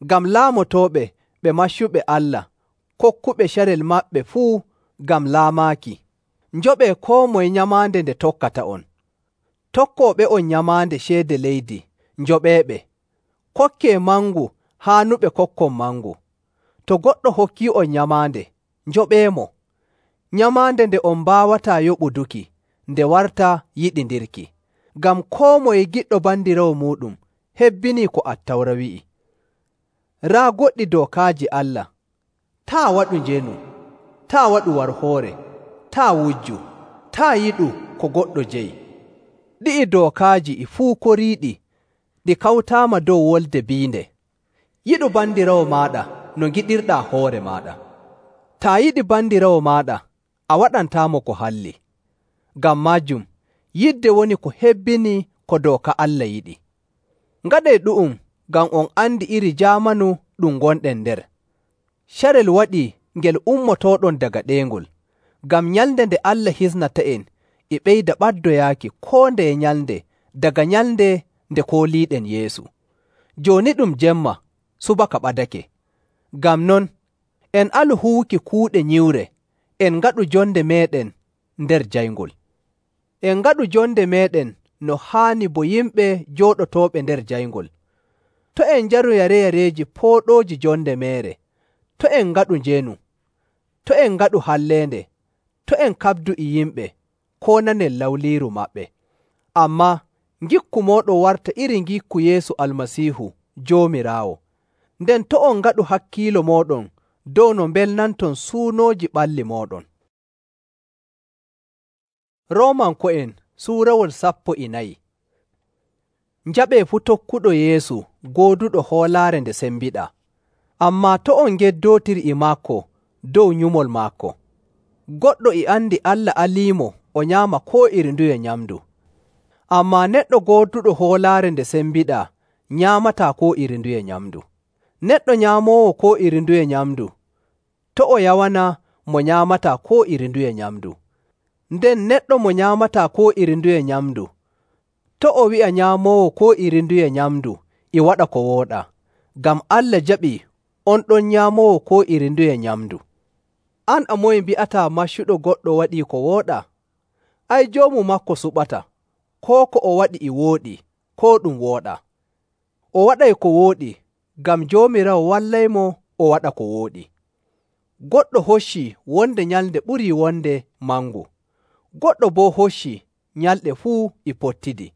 Ngam laamotooɓe ɓe maccuɓe Allah, kokkuɓe carel maɓɓe fuu ngam laamaaki, njoɓee koo moye nyamaande nde tokkata on. Tokkooɓe'on nyamaande ceede leydi, njoɓeeɓe. Kokkee mangu haanuɓe kokkon mangu. To goɗɗo hokkii'on nyamaande, njoɓeemo. Nyamaande nde on mbaawataa yoɓuduki, nde warta yiɗindirki. Ngam koo moye giɗɗo bandiraawo muuɗum hebbinii ko Attawra wi'i. Raa goɗɗi dookaaji Allah: taa waɗu njeenu, taa waɗu warhoore, taa wujju, taa yiɗu ko goɗɗo jeyi. Ɗi'i dookaaji e fuu koriiɗi ɗi kawtaama dow wolde biinde. Yiɗu bandiraawo maaɗa no ngiɗirɗaa hoore maaɗa. Taa yiɗi bandiraawo maaɗa, a waɗantaamo ko halli. Ngam maajum, yidde woni ko hebbini ko dooka Allah yiɗi. Ngaɗee ɗu'um ngam on andi iri jaamanu ɗum ngonɗen nder. Carel waɗii ngel ummotooɗon daga ɗeengol, ngam nyalnde nde Allah hisnata'en e ɓeyda ɓaddoyaaki koo ndeye nyalnde daga nyalnde nde kooliiɗen Yeesu. Jooni ɗum jemma, subaka ɓadake. Ngam non, en alu huwuki kuuɗe nyiwre, en ngaɗu jonde meeɗen nder jayngol. En ngaɗu jonde meeɗen no haani bo yimɓe jooɗotooɓe nder jayngol. To' en njaru yare-yareeji pooɗooji jonde meere. To' en ngaɗu njeenu. To' en ngaɗu halleende. To' en kaɓdu e yimɓe koo nanen lawliiru maɓɓe. Ammaa ngikku mooɗon warta iri ngikku Yeesu Almasiihu Joomiraawo. Nden to' on ngaɗu hakkiilo mooɗon dow no mbelnanton suunooji ɓalli mooɗon. Roomanko'en suurawol sappo e nayi. Njaɓee fuu tokkuɗo Yeesu gooduɗo hoolaare nde sembiɗaa, ammaa to' on ngeddootir e maako dow nyumol maako. Goɗɗo e andi Allah aliimo o nyaama koo iri nduye nyamndu. Ammaa neɗɗo gooduɗo hoolaare nde sembiɗaa nyaamataa koo iri nduye nyamndu. Neɗɗo nyaamoowo koo iri nduye nyamndu, to' o yawana mo nyaamataa koo iri nduye nyamndu. Nden neɗɗo mo nyaamataa koo iri nduye nyamndu, to' o wi'a nyaamoowo koo iri nduye nyamndu e waɗa ko wooɗaa, ngam Allah jaɓii on ɗon nyaamoowo koo iri nduye nyamndu. An a moye mbi'ataa maccuɗo goɗɗo waɗii ko wooɗaa? Ay, joomu maako suɓata, koo ko o waɗi e wooɗi, koo ɗum wooɗaa. O waɗay ko wooɗi ngam Joomiraawo wallaymo o waɗa ko wooɗi. Goɗɗo hoccii wonde nyalnde ɓurii wonde mangu. Goɗɗo boo hoccii nyalɗe fuu e pottidi.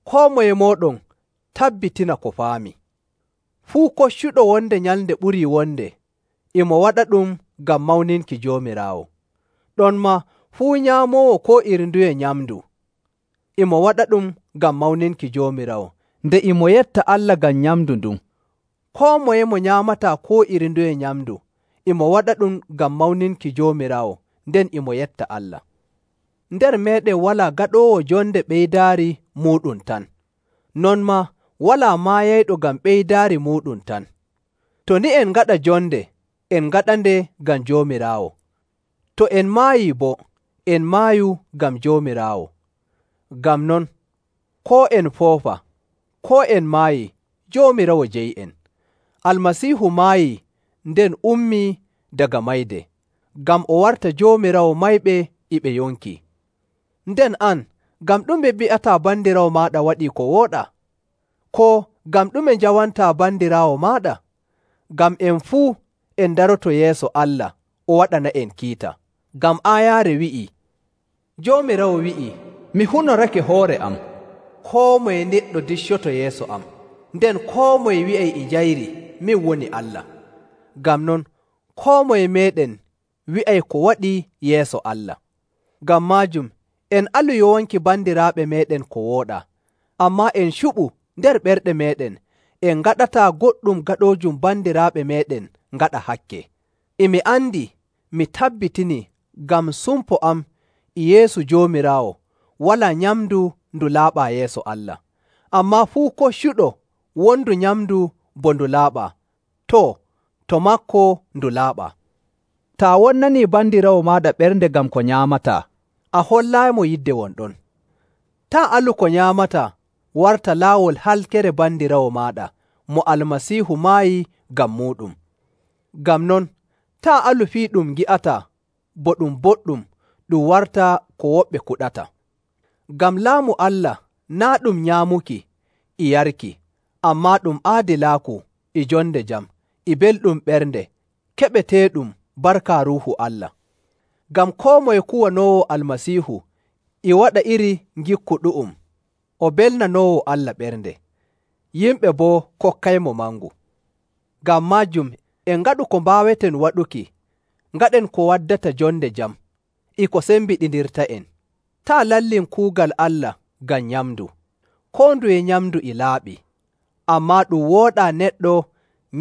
Koo moye mooɗon tabbitina ko faami. Fuu koccuɗo wonde nyalnde ɓurii wonde, e mo waɗa ɗum ngam mawninki Joomiraawo. Ɗonmaa fuu nyaamoowo koo iri nduye nyamndu, e mo waɗa ɗum ngam mawninki Joomiraawo, nde e mo yetta Allah ngam nyamndu ndun. Koo moye mo nyaamataa koo iri nduye nyamndu, e mo waɗa ɗum ngam mawninki Joomiraawo, nden e mo yetta Allah. Nder meeɗen walaa gaɗoowo jonde ɓeydaari muuɗum tan. Non maa walaa maayayɗo ngam ɓeydaari muuɗum tan. To ni en ngaɗa jonde, en ngaɗande ngam Joomiraawo. To en maayii boo, en maayu ngam Joomiraawo. Ngam non, koo en foofa, koo en maayii, Joomiraawo jeyi'en. Almasiihu maayii nden ummii daga mayde, ngam o warta Joomiraawo mayɓe e ɓe yonkii. Nden an, ngam ɗume mbi'ataa bandiraawo maaɗa waɗii ko wooɗaa? Koo ngam ɗume njawantaa bandiraawo maaɗa? Ngam en fuu en daroto yeeso Allah o waɗana'en kiita. Ngam aayaare wi'ii, Joomiraawo wi'ii, mi hunorake hoore am, koo moye neɗɗo diccoto yeeso am, nden koo moye wi'ay e njayri, min woni Allah. Ngam non, koo moye meeɗen wi'ay ko waɗi yeeso Allah. Ngam maajum, en alu yowanki bandiraaɓe meeɗen ko wooɗaa, ammaa en cuɓu nder ɓerɗe meeɗen, en ngaɗataa goɗɗum gaɗoojum bandiraaɓe meeɗen ngaɗa hakke. E mi andi, mi tabbitini ngam sumpo am e Yeesu Joomiraawo, walaa nyamndu ndu laaɓaa yeeso Allah. Ammaa fuu koccuɗo wondu nyamndu bo ndu laaɓaa, too, to maako ndu laaɓaa. Taa wonnanii bandiraawo maaɗa ɓernde ngam ko nyaamataa, a hollaaymo yidde won ɗon. Taa alu ko nyaamataa warta laawol halkere bandiraawo maaɗa mo Almasiihu maayi ngam muuɗum. Ngam non, taa alu fii ɗum ngi'ataa bo ɗum boɗɗum ɗum warta ko woɓɓe kuɗata. Ngam laamu Allah naa' ɗum nyaamuki e yarki, ammaa ɗum aadilaaku e jonde jam e belɗum ɓernde keɓeteeɗum barka Ruuhu Allah. Ngam koo moye kuwanoowo Almasiihu e waɗa iri ngikku ɗu'um, o belnanoowo Allah ɓernde, yimɓe boo kokkaymo mangu. Ngam maajum en ngaɗu ko mbaaweten waɗuki, ngaɗen ko waddata jonde jam, e ko sembiɗindirta'en. Taa lallin kuugal Allah ngam nyamndu. Koo nduye nyamndu e laaɓi, ammaa ɗum wooɗaa neɗɗo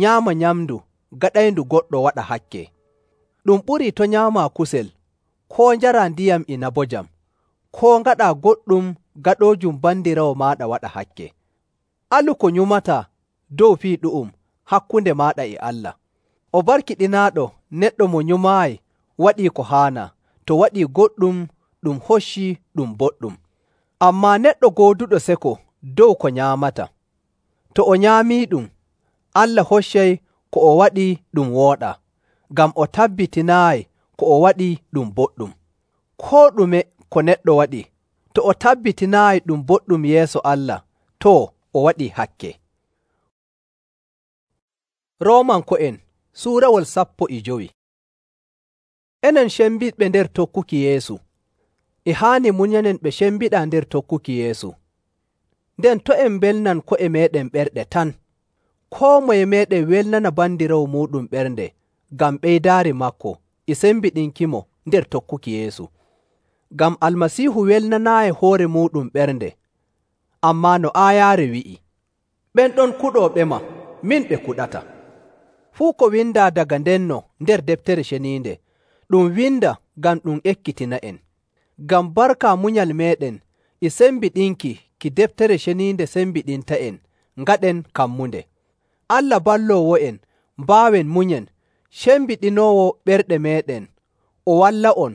nyaama nyamndu gaɗayndu goɗɗo waɗa hakke. Ɗum ɓurii to' nyaamaa kusel, koo njaraa ndiyam inabojam, koo ngaɗaa goɗɗum gaɗoojum bandiraawo maaɗa waɗa hakke. Alu ko nyumataa dow fii ɗu'um hakkunde maaɗa e Allah. O barkiɗinaaɗo neɗɗo mo nyumaayi waɗii ko haanaa, to waɗii goɗɗum ɗum hoccii ɗum boɗɗum. Ammaa neɗɗo gooduɗo seko dow ko nyaamata, to o nyaamiiɗum, Allah hoccay ko o waɗi ɗum wooɗaa, ngam o tabbitinaayi ko o waɗi ɗum boɗɗum. Koo ɗume ko neɗɗo waɗi, to o tabbitinaayi ɗum boɗɗum yeeso Allah, too o waɗii hakke. Roomanko'en Suurawol sappo e jowi. Enen cembiɗɓe nder tokkuki Yeesu, e haani munyanen ɓe cembiɗaa nder tokkuki Yeesu. Nden to' en mbelnan ko'e meeɗen ɓerɗe tan, koo moye meeɗen welnana bandiraawo muuɗum ɓernde, ngam ɓeydaari maako e sembiɗinkimo nder tokkuki Yeesu. Ngam Almasiihu welnanaayi hoore muuɗum ɓernde, ammaa no aayaare wi'i, ɓen ɗon kuɗooɓema, min ɓe kuɗata. Fuu ko windaa daga ndenno nder deftere ceniinde, ɗum winda ngam ɗum ekkitina'en. Ngam barka munyal meeɗen e sembiɗinki ki deftere ceniinde sembiɗinta'en, ngaɗen kammunde. Allah balloowo'en mbaawen munyen, cembiɗinoowo ɓerɗe meeɗen, o walla'on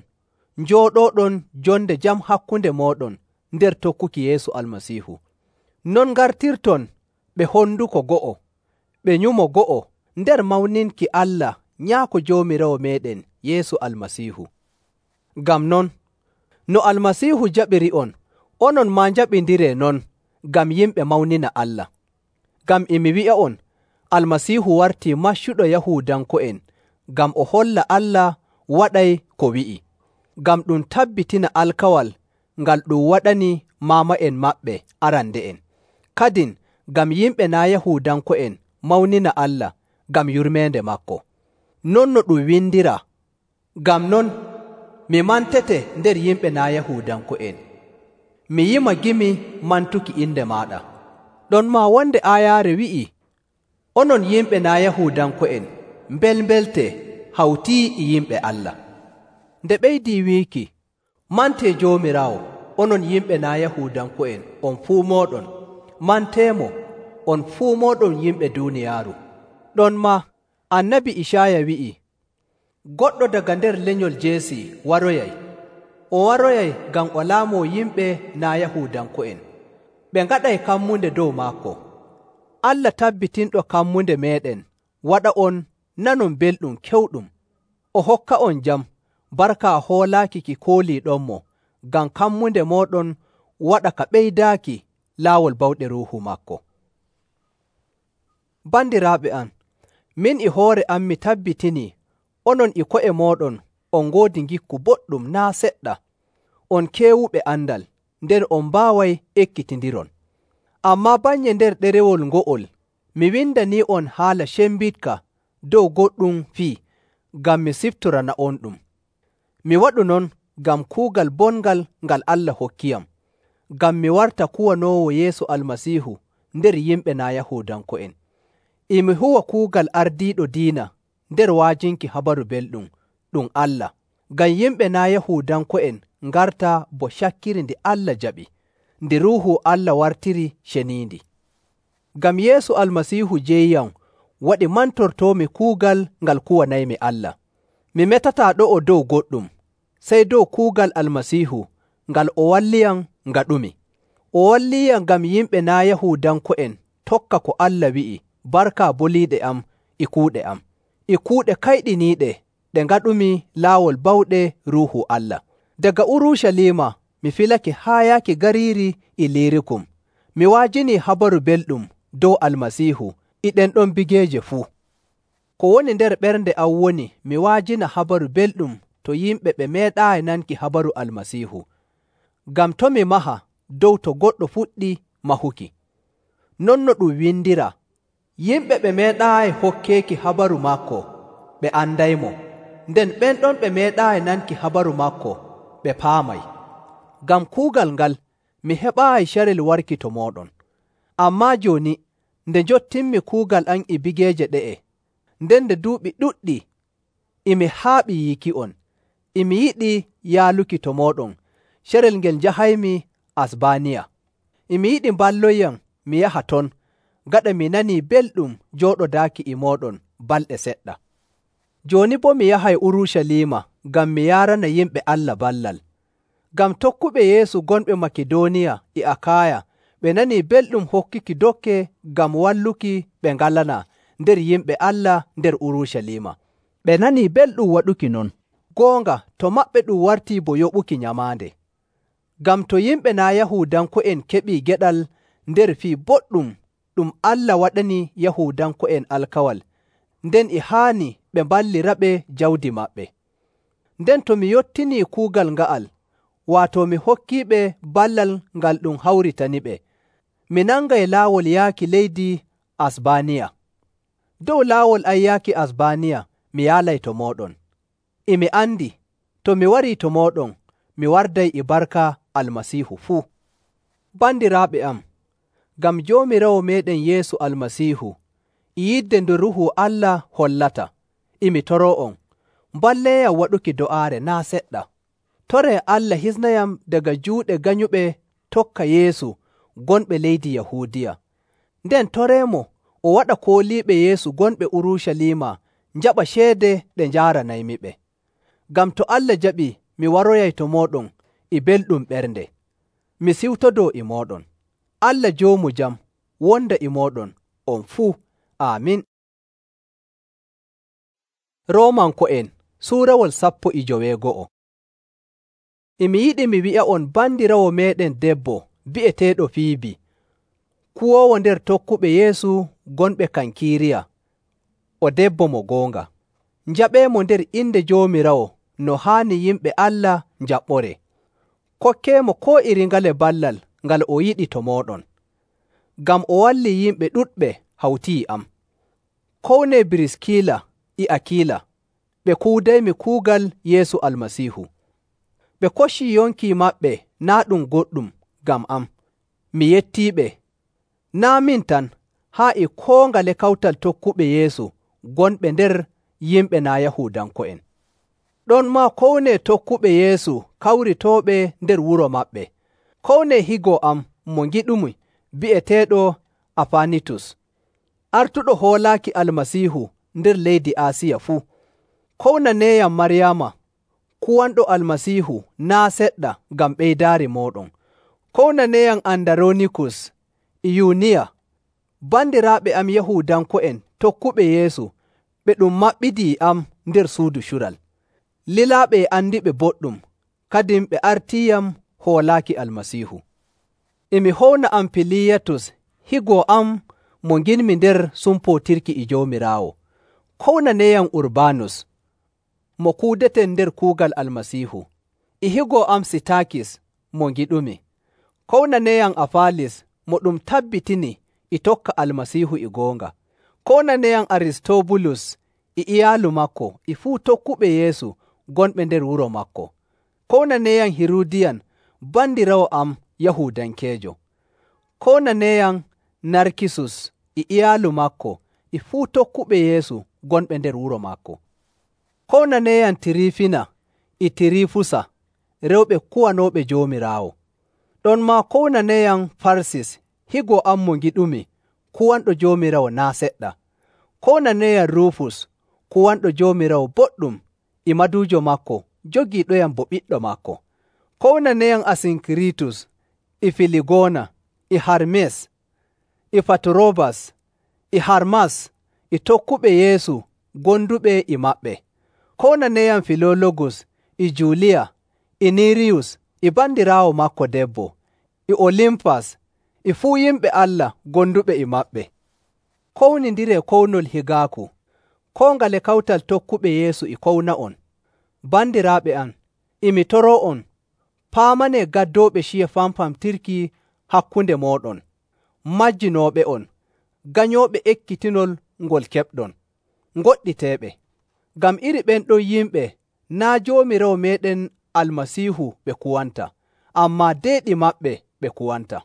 njooɗooɗon jonde jam hakkunde mooɗon nder tokkuki Yeesu Almasiihu. Non ngartirton ɓe honduko go'o, ɓe nyumo go'o nder mawninki Allah Nyaako Joomiraawo meeɗen Yeesu Almasiihu. Ngam non, no Almasiihu jaɓiri'on, onon maa njaɓindiree non ngam yimɓe mawnina Allah. Ngam e mi wi'a'on, Almasiihu wartii maccuɗo Yahuudanko'en ngam o holla Allah waɗay ko wi'i, ngam ɗum tabbitina alkawal ngal ɗum waɗani maama'en maɓɓe arande'en, kadin ngam yimɓe naa' Yahuudanko'en mawnina Allah ngam yurmeende maako. Non no ɗum windiraa, ngam non mi mantete nder yimɓe naa' Yahuudanko'en, mi yima gimi mantuki inde maaɗa. Ɗon maa wonde aayaare wi'ii, onon yimɓe naa' Yahuudanko'en mbelmbeltee hawtii e yimɓe Allah. Nde ɓeydii wiiki, mantee Joomiraawo, onon yimɓe naa' Yahuudanko'en on fuu mooɗon, manteemo on fuu mooɗon yimɓe duuniyaaru. Ɗon maa Annabi Icaaya wi'i, goɗɗo daga nder lenyol Jeesi waroyay, o waroyay ngam o laamoo yimɓe naa' Yahuudanko'en, ɓe ngaɗay kammunde dow maako. Allah tabbitinɗo kammunde meeɗen waɗa'on nanon belɗum kewɗum, o hokka'on jam barka hoolaaki ki kooliiɗonmo, ngam kammunde mooɗon waɗa ka ɓeydaaki laawol bawɗe Ruuhu maako. Bandiraaɓe am, min e hoore am mi tabbitinii onon e ko'e mooɗon on ngoodi ngikku boɗɗum naa' seɗɗa, on keewuɓe andal, nden on mbaaway ekkitindiron. Ammaa bannye nder ɗerewol ngo'ol mi windanii'on haala cembiɗka dow goɗɗum fii, ngam mi siftorana'onɗum. Mi waɗu non ngam kuugal bongal ngal Allah hokkiyam, ngam mi warta kuwanoowo Yeesu Almasiihu nder yimɓe naa' Yahuudanko'en. E mi huwa kuugal ardiiɗo diina nder wa'ajinki habaru belɗum ɗum Allah, ngam yimɓe naa' Yahuudanko'en ngarta bo cakkiri ndi Allah jaɓi, ndi Ruuhu Allah wartiri ceniindi. Ngam Yeesu Almasiihu jeeyam waɗi mantortoomi kuugal ngal kuwanaymi Allah. Mi metataa ɗo'o dow goɗɗum, sey dow kuugal Almasiihu ngal o walliyam ngaɗumi. O walliyam ngam yimɓe naa' Yahuudanko'en tokka ko Allah wi'i barka boliiɗe am e kuuɗe am, e kuuɗe kayɗiniiɗe ɗe ngaɗumi laawol bawɗe Ruuhu Allah. Daga Urucaliima mi filake haa yaaki gariiri Iliirikum, mi wa'ajinii habaru belɗum dow Almasiihu e ɗen ɗon bigeeje fuu. Ko woni nder ɓernde am woni mi wa'ajina habaru belɗum to yimɓe ɓe meeɗaayi nanki habaru Almasiihu, ngam to mi maha dow to goɗɗo fuɗɗi mahuki. Non no ɗum windiraa, yimɓe ɓe meeɗaayi hokkeeki habaru maako ɓe andaymo, nden ɓen ɗon ɓe meeɗaayi nanki habaru maako ɓe paamay. Ngam kuugal ngal mi heɓaayi carel warki to mooɗon. Ammaa jooni nde njottinmi kuugal am e bigeeje ɗe'e, nden nde duuɓi ɗuɗɗi e mi haaɓi yiiki'on, e mi yiɗi yaaluki to mooɗon carel ngel njahaymi Asbaaniya. E mi yiɗi mballoyyam mi yaha ton, gaɗa mi nanii belɗum jooɗodaaki e mooɗon balɗe seɗɗa. Jooni boo mi yahay Urucaliima ngam mi yaarana yimɓe Allah ballal. Ngam tokkuɓe Yeesu gonɓe Makidooniya e Akaaya ɓe nanii belɗum hokkuki dokke ngam walluki ɓe ngalanaa nder yimɓe Allah nder Urucaliima. Ɓe nanii belɗum waɗuki non. Goonga to maɓɓe ɗum wartii bo yoɓuki nyamaande. Ngam to yimɓe naa' Yahuudanko'en keɓii geɗal nder fii boɗɗum ɗum Allah waɗani Yahuudanko'en alkawal, nden e haani ɓe mballiraɓe jawdi maɓɓe. Nden to mi yottinii kuugal nga'al, waato mi hokkiiɓe ballal ngal ɗum hawritaniɓe, mi nangay laawol yaaki leydi Asbaaniya. Dow laawol am yaaki Asbaaniya mi yaalay to mooɗon. E mi andi to mi warii to mooɗon, mi warday e barka Almasiihu fuu. Bandiraaɓe am, ngam Joomiraawo meeɗen Yeesu Almasiihu e yidde nde Ruuhu Allah hollata, e mi toroo'on, mballeeyam waɗuki do'aare naa' seɗɗa. Toree Allah hisnayam daga juuɗe ganyuɓe tokka Yeesu gonɓe leydi Yahuudiya. Nden toreemo o waɗa kooliiɓe Yeesu gonɓe Urucaliima njaɓa ceede ɗe njaaranaymiɓe. Ngam to Allah jaɓii mi waroyay to mooɗon e belɗum ɓernde. Mi siwtodoo e mooɗon. Allah Joomu Jam wonda e mooɗon on fuu. Aamin. Roomanko'en Suurawol sappo e joweego'o. E mi yiɗi mi wi'a'on bandiraawo meeɗen debbo bi'eteeɗo Fiibi, kuwoowo nder tokkuɓe Yeesu gonɓe Kankiiriya, o debbo mo goonga. Njaɓeemo nder inde Joomiraawo no haani yimɓe Allah njaɓɓore. Kokkeemo koo iri ngale ballal ngal o yiɗi to mooɗon. Ngam o wallii yimɓe ɗuɗɓe hawti e am. Kownee Biriskila e Akiila, ɓe kuudaymi kuugal Yeesu Almasiihu. Ɓe koccii yonki maɓɓe naa' ɗum goɗɗum ngam am. Mi yettiiɓe, naa' min tan, haa e koo ngale kawtal tokkuɓe Yeesu gonɓe nder yimɓe naa' Yahuudanko'en. Ɗonmaa kownee tokkuɓe Yeesu kawritooɓe nder wuro maɓɓe. Kownee higo am mo ngiɗumi bi'eteeɗo Afanitus, artuɗo hoolaaki Almasiihu nder leydi Aasiya fuu. Kownaneeyam Maryaama, kuwanɗo Almasiihu naa' seɗɗa ngam ɓeydaari mooɗon. Kownaneeyam Andaronikus e Yuniya, bandiraaɓe am Yahuudanko'en tokkuɓe Yeesu ɓe ɗum maɓɓidii e am nder suudu cural. Lilaaɓe e andiɓe boɗɗum, kadin ɓe artiiyam hoolaaki Almasiihu. E mi howna Ampiliyatus, higo am mo nginmi nder sumpootirki e Joomiraawo. Kownaneeyam Urbaanus, mo kuudeten nder kuugal Almasiihu, e higo am Sitaakis mo ngiɗumi. Kownaneeyam Afaalis mo ɗum tabbitini e tokka Almasiihu e goonga. Kownaneeyam Aristobulus e iyaalu maako e fuu tokkuɓe Yeesu gonɓe nder wuro maako. Kownaneeyam Hirudiyan, bandiraawo am Yahuudankeejo. Kownaneeyam Narkisus e iyaalu maako e fuu tokkuɓe Yeesu gonɓe nder wuro maako. Kownaneeyam Tirifina e Tirifusa, rewɓe kuwanooɓe Joomiraawo. Ɗonmaa kownaneeyam Farsis, higo am mo ngiɗumi, kuwanɗo Joomiraawo naa' seɗɗa. Kownaneeyam Rufus, kuwanɗo Joomiraawo boɗɗum, e maduujo maako jogiiɗoyam bo ɓiɗɗo maako. Kownaneeyam Asinkiritus e Filigona e Harmes e Faturobas e Harmas e tokkuɓe Yeesu gonduɓe e maɓɓe. Kownaneeyam Filologus e Juliya e Niriyus e bandiraawo maako debbo, e Olimpas e fuu yimɓe Allah gonduɓe e maɓɓe. Kownindiree kownol higaaku. Koo ngale kawtal tokkuɓe Yeesu e kowna'on. Bandiraaɓe am, e mi toroo'on, paamanee gaddooɓe ciya famfamtirki hakkunde mooɗon, majjinooɓe'on, ganyooɓe ekkitinol ngol keɓɗon, ngoɗɗiteeɓe. Ngam iri ɓen ɗon yimɓe naa' Joomiraawo meeɗen Almasiihu ɓe kuwanta, ammaa deeɗi maɓɓe ɓe kuwanta.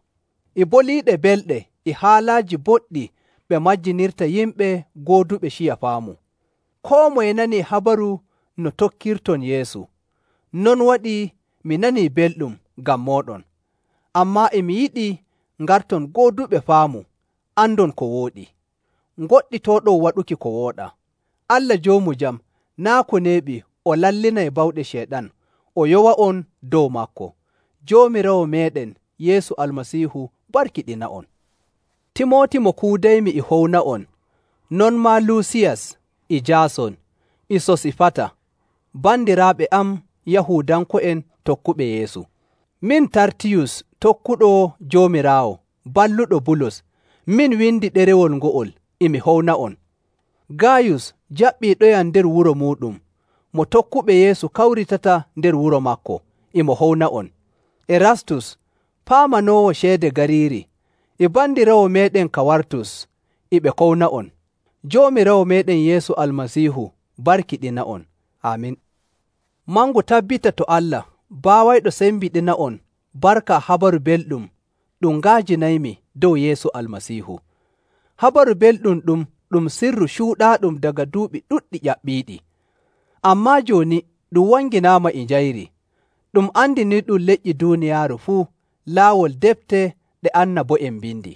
E boliiɗe belɗe e haalaaji boɗɗi ɓe majjinirta yimɓe gooduɓe ciya faamu. Koo moye nanii habaru no tokkirton Yeesu. Non waɗii mi nanii belɗum ngam mooɗon. Ammaa e mi yiɗi ngarton gooduɓe faamu, andon ko wooɗi, ngoɗɗitooɗon waɗuki ko wooɗaa. Allah joomu jam naa' ko neeɓi o lallinay bawɗe Ceyɗan o yowa'on dow maako. Joomiraawo meeɗen Yeesu Almasiihu barkiɗina'on. Timooti mo kuudaymi e howna'on, non maa Luusiyas e Jaason e Sosifata, bandiraaɓe am Yahuudanko'en tokkuɓe Yeesu. Min Tartiyus tokkuɗo Joomiraawo, balluɗo Bulus, min windi ɗerewol ngo'ol e mi howna'on. Gaayus jaɓɓiiɗoyam nder wuro muuɗum, mo tokkuɓe Yeesu kawritata nder wuro maako, e mo howna'on. Erastus, paamanoowo ceede gariiri, e bandiraawo meeɗen Kawartus, e ɓe kowna'on. Joomiraawo meeɗen Yeesu Almasiihu barkiɗina'on. Aamin. Mangu tabbita to Allah, baawayɗo sembiɗina'on barka habaru belɗum ɗum nga'ajinaymi dow Yeesu Almasiihu. Habaru belɗum ɗum ɗum sirru cuuɗaaɗum daga duuɓi ɗuɗɗi ƴaɓɓiiɗi. Ammaa jooni ɗum wanginaama e njayri, ɗum andiniiɗum leƴƴi duuniyaaru fuu laawol defte ɗe annabo'en mbindi.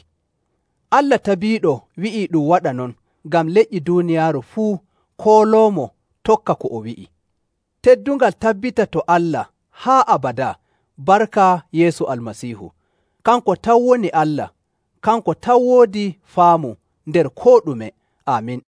Allah tabiiɗo wi'ii ɗum waɗa non ngam leƴƴi duuniyaaru fuu kooloomo tokka ko o wi'i. Teddungal tabbita to Allah haa abadaa barka Yeesu Almasiihu. Kanko tan woni Allah, kanko tan woodi faamu nder koo ɗume. Aamin.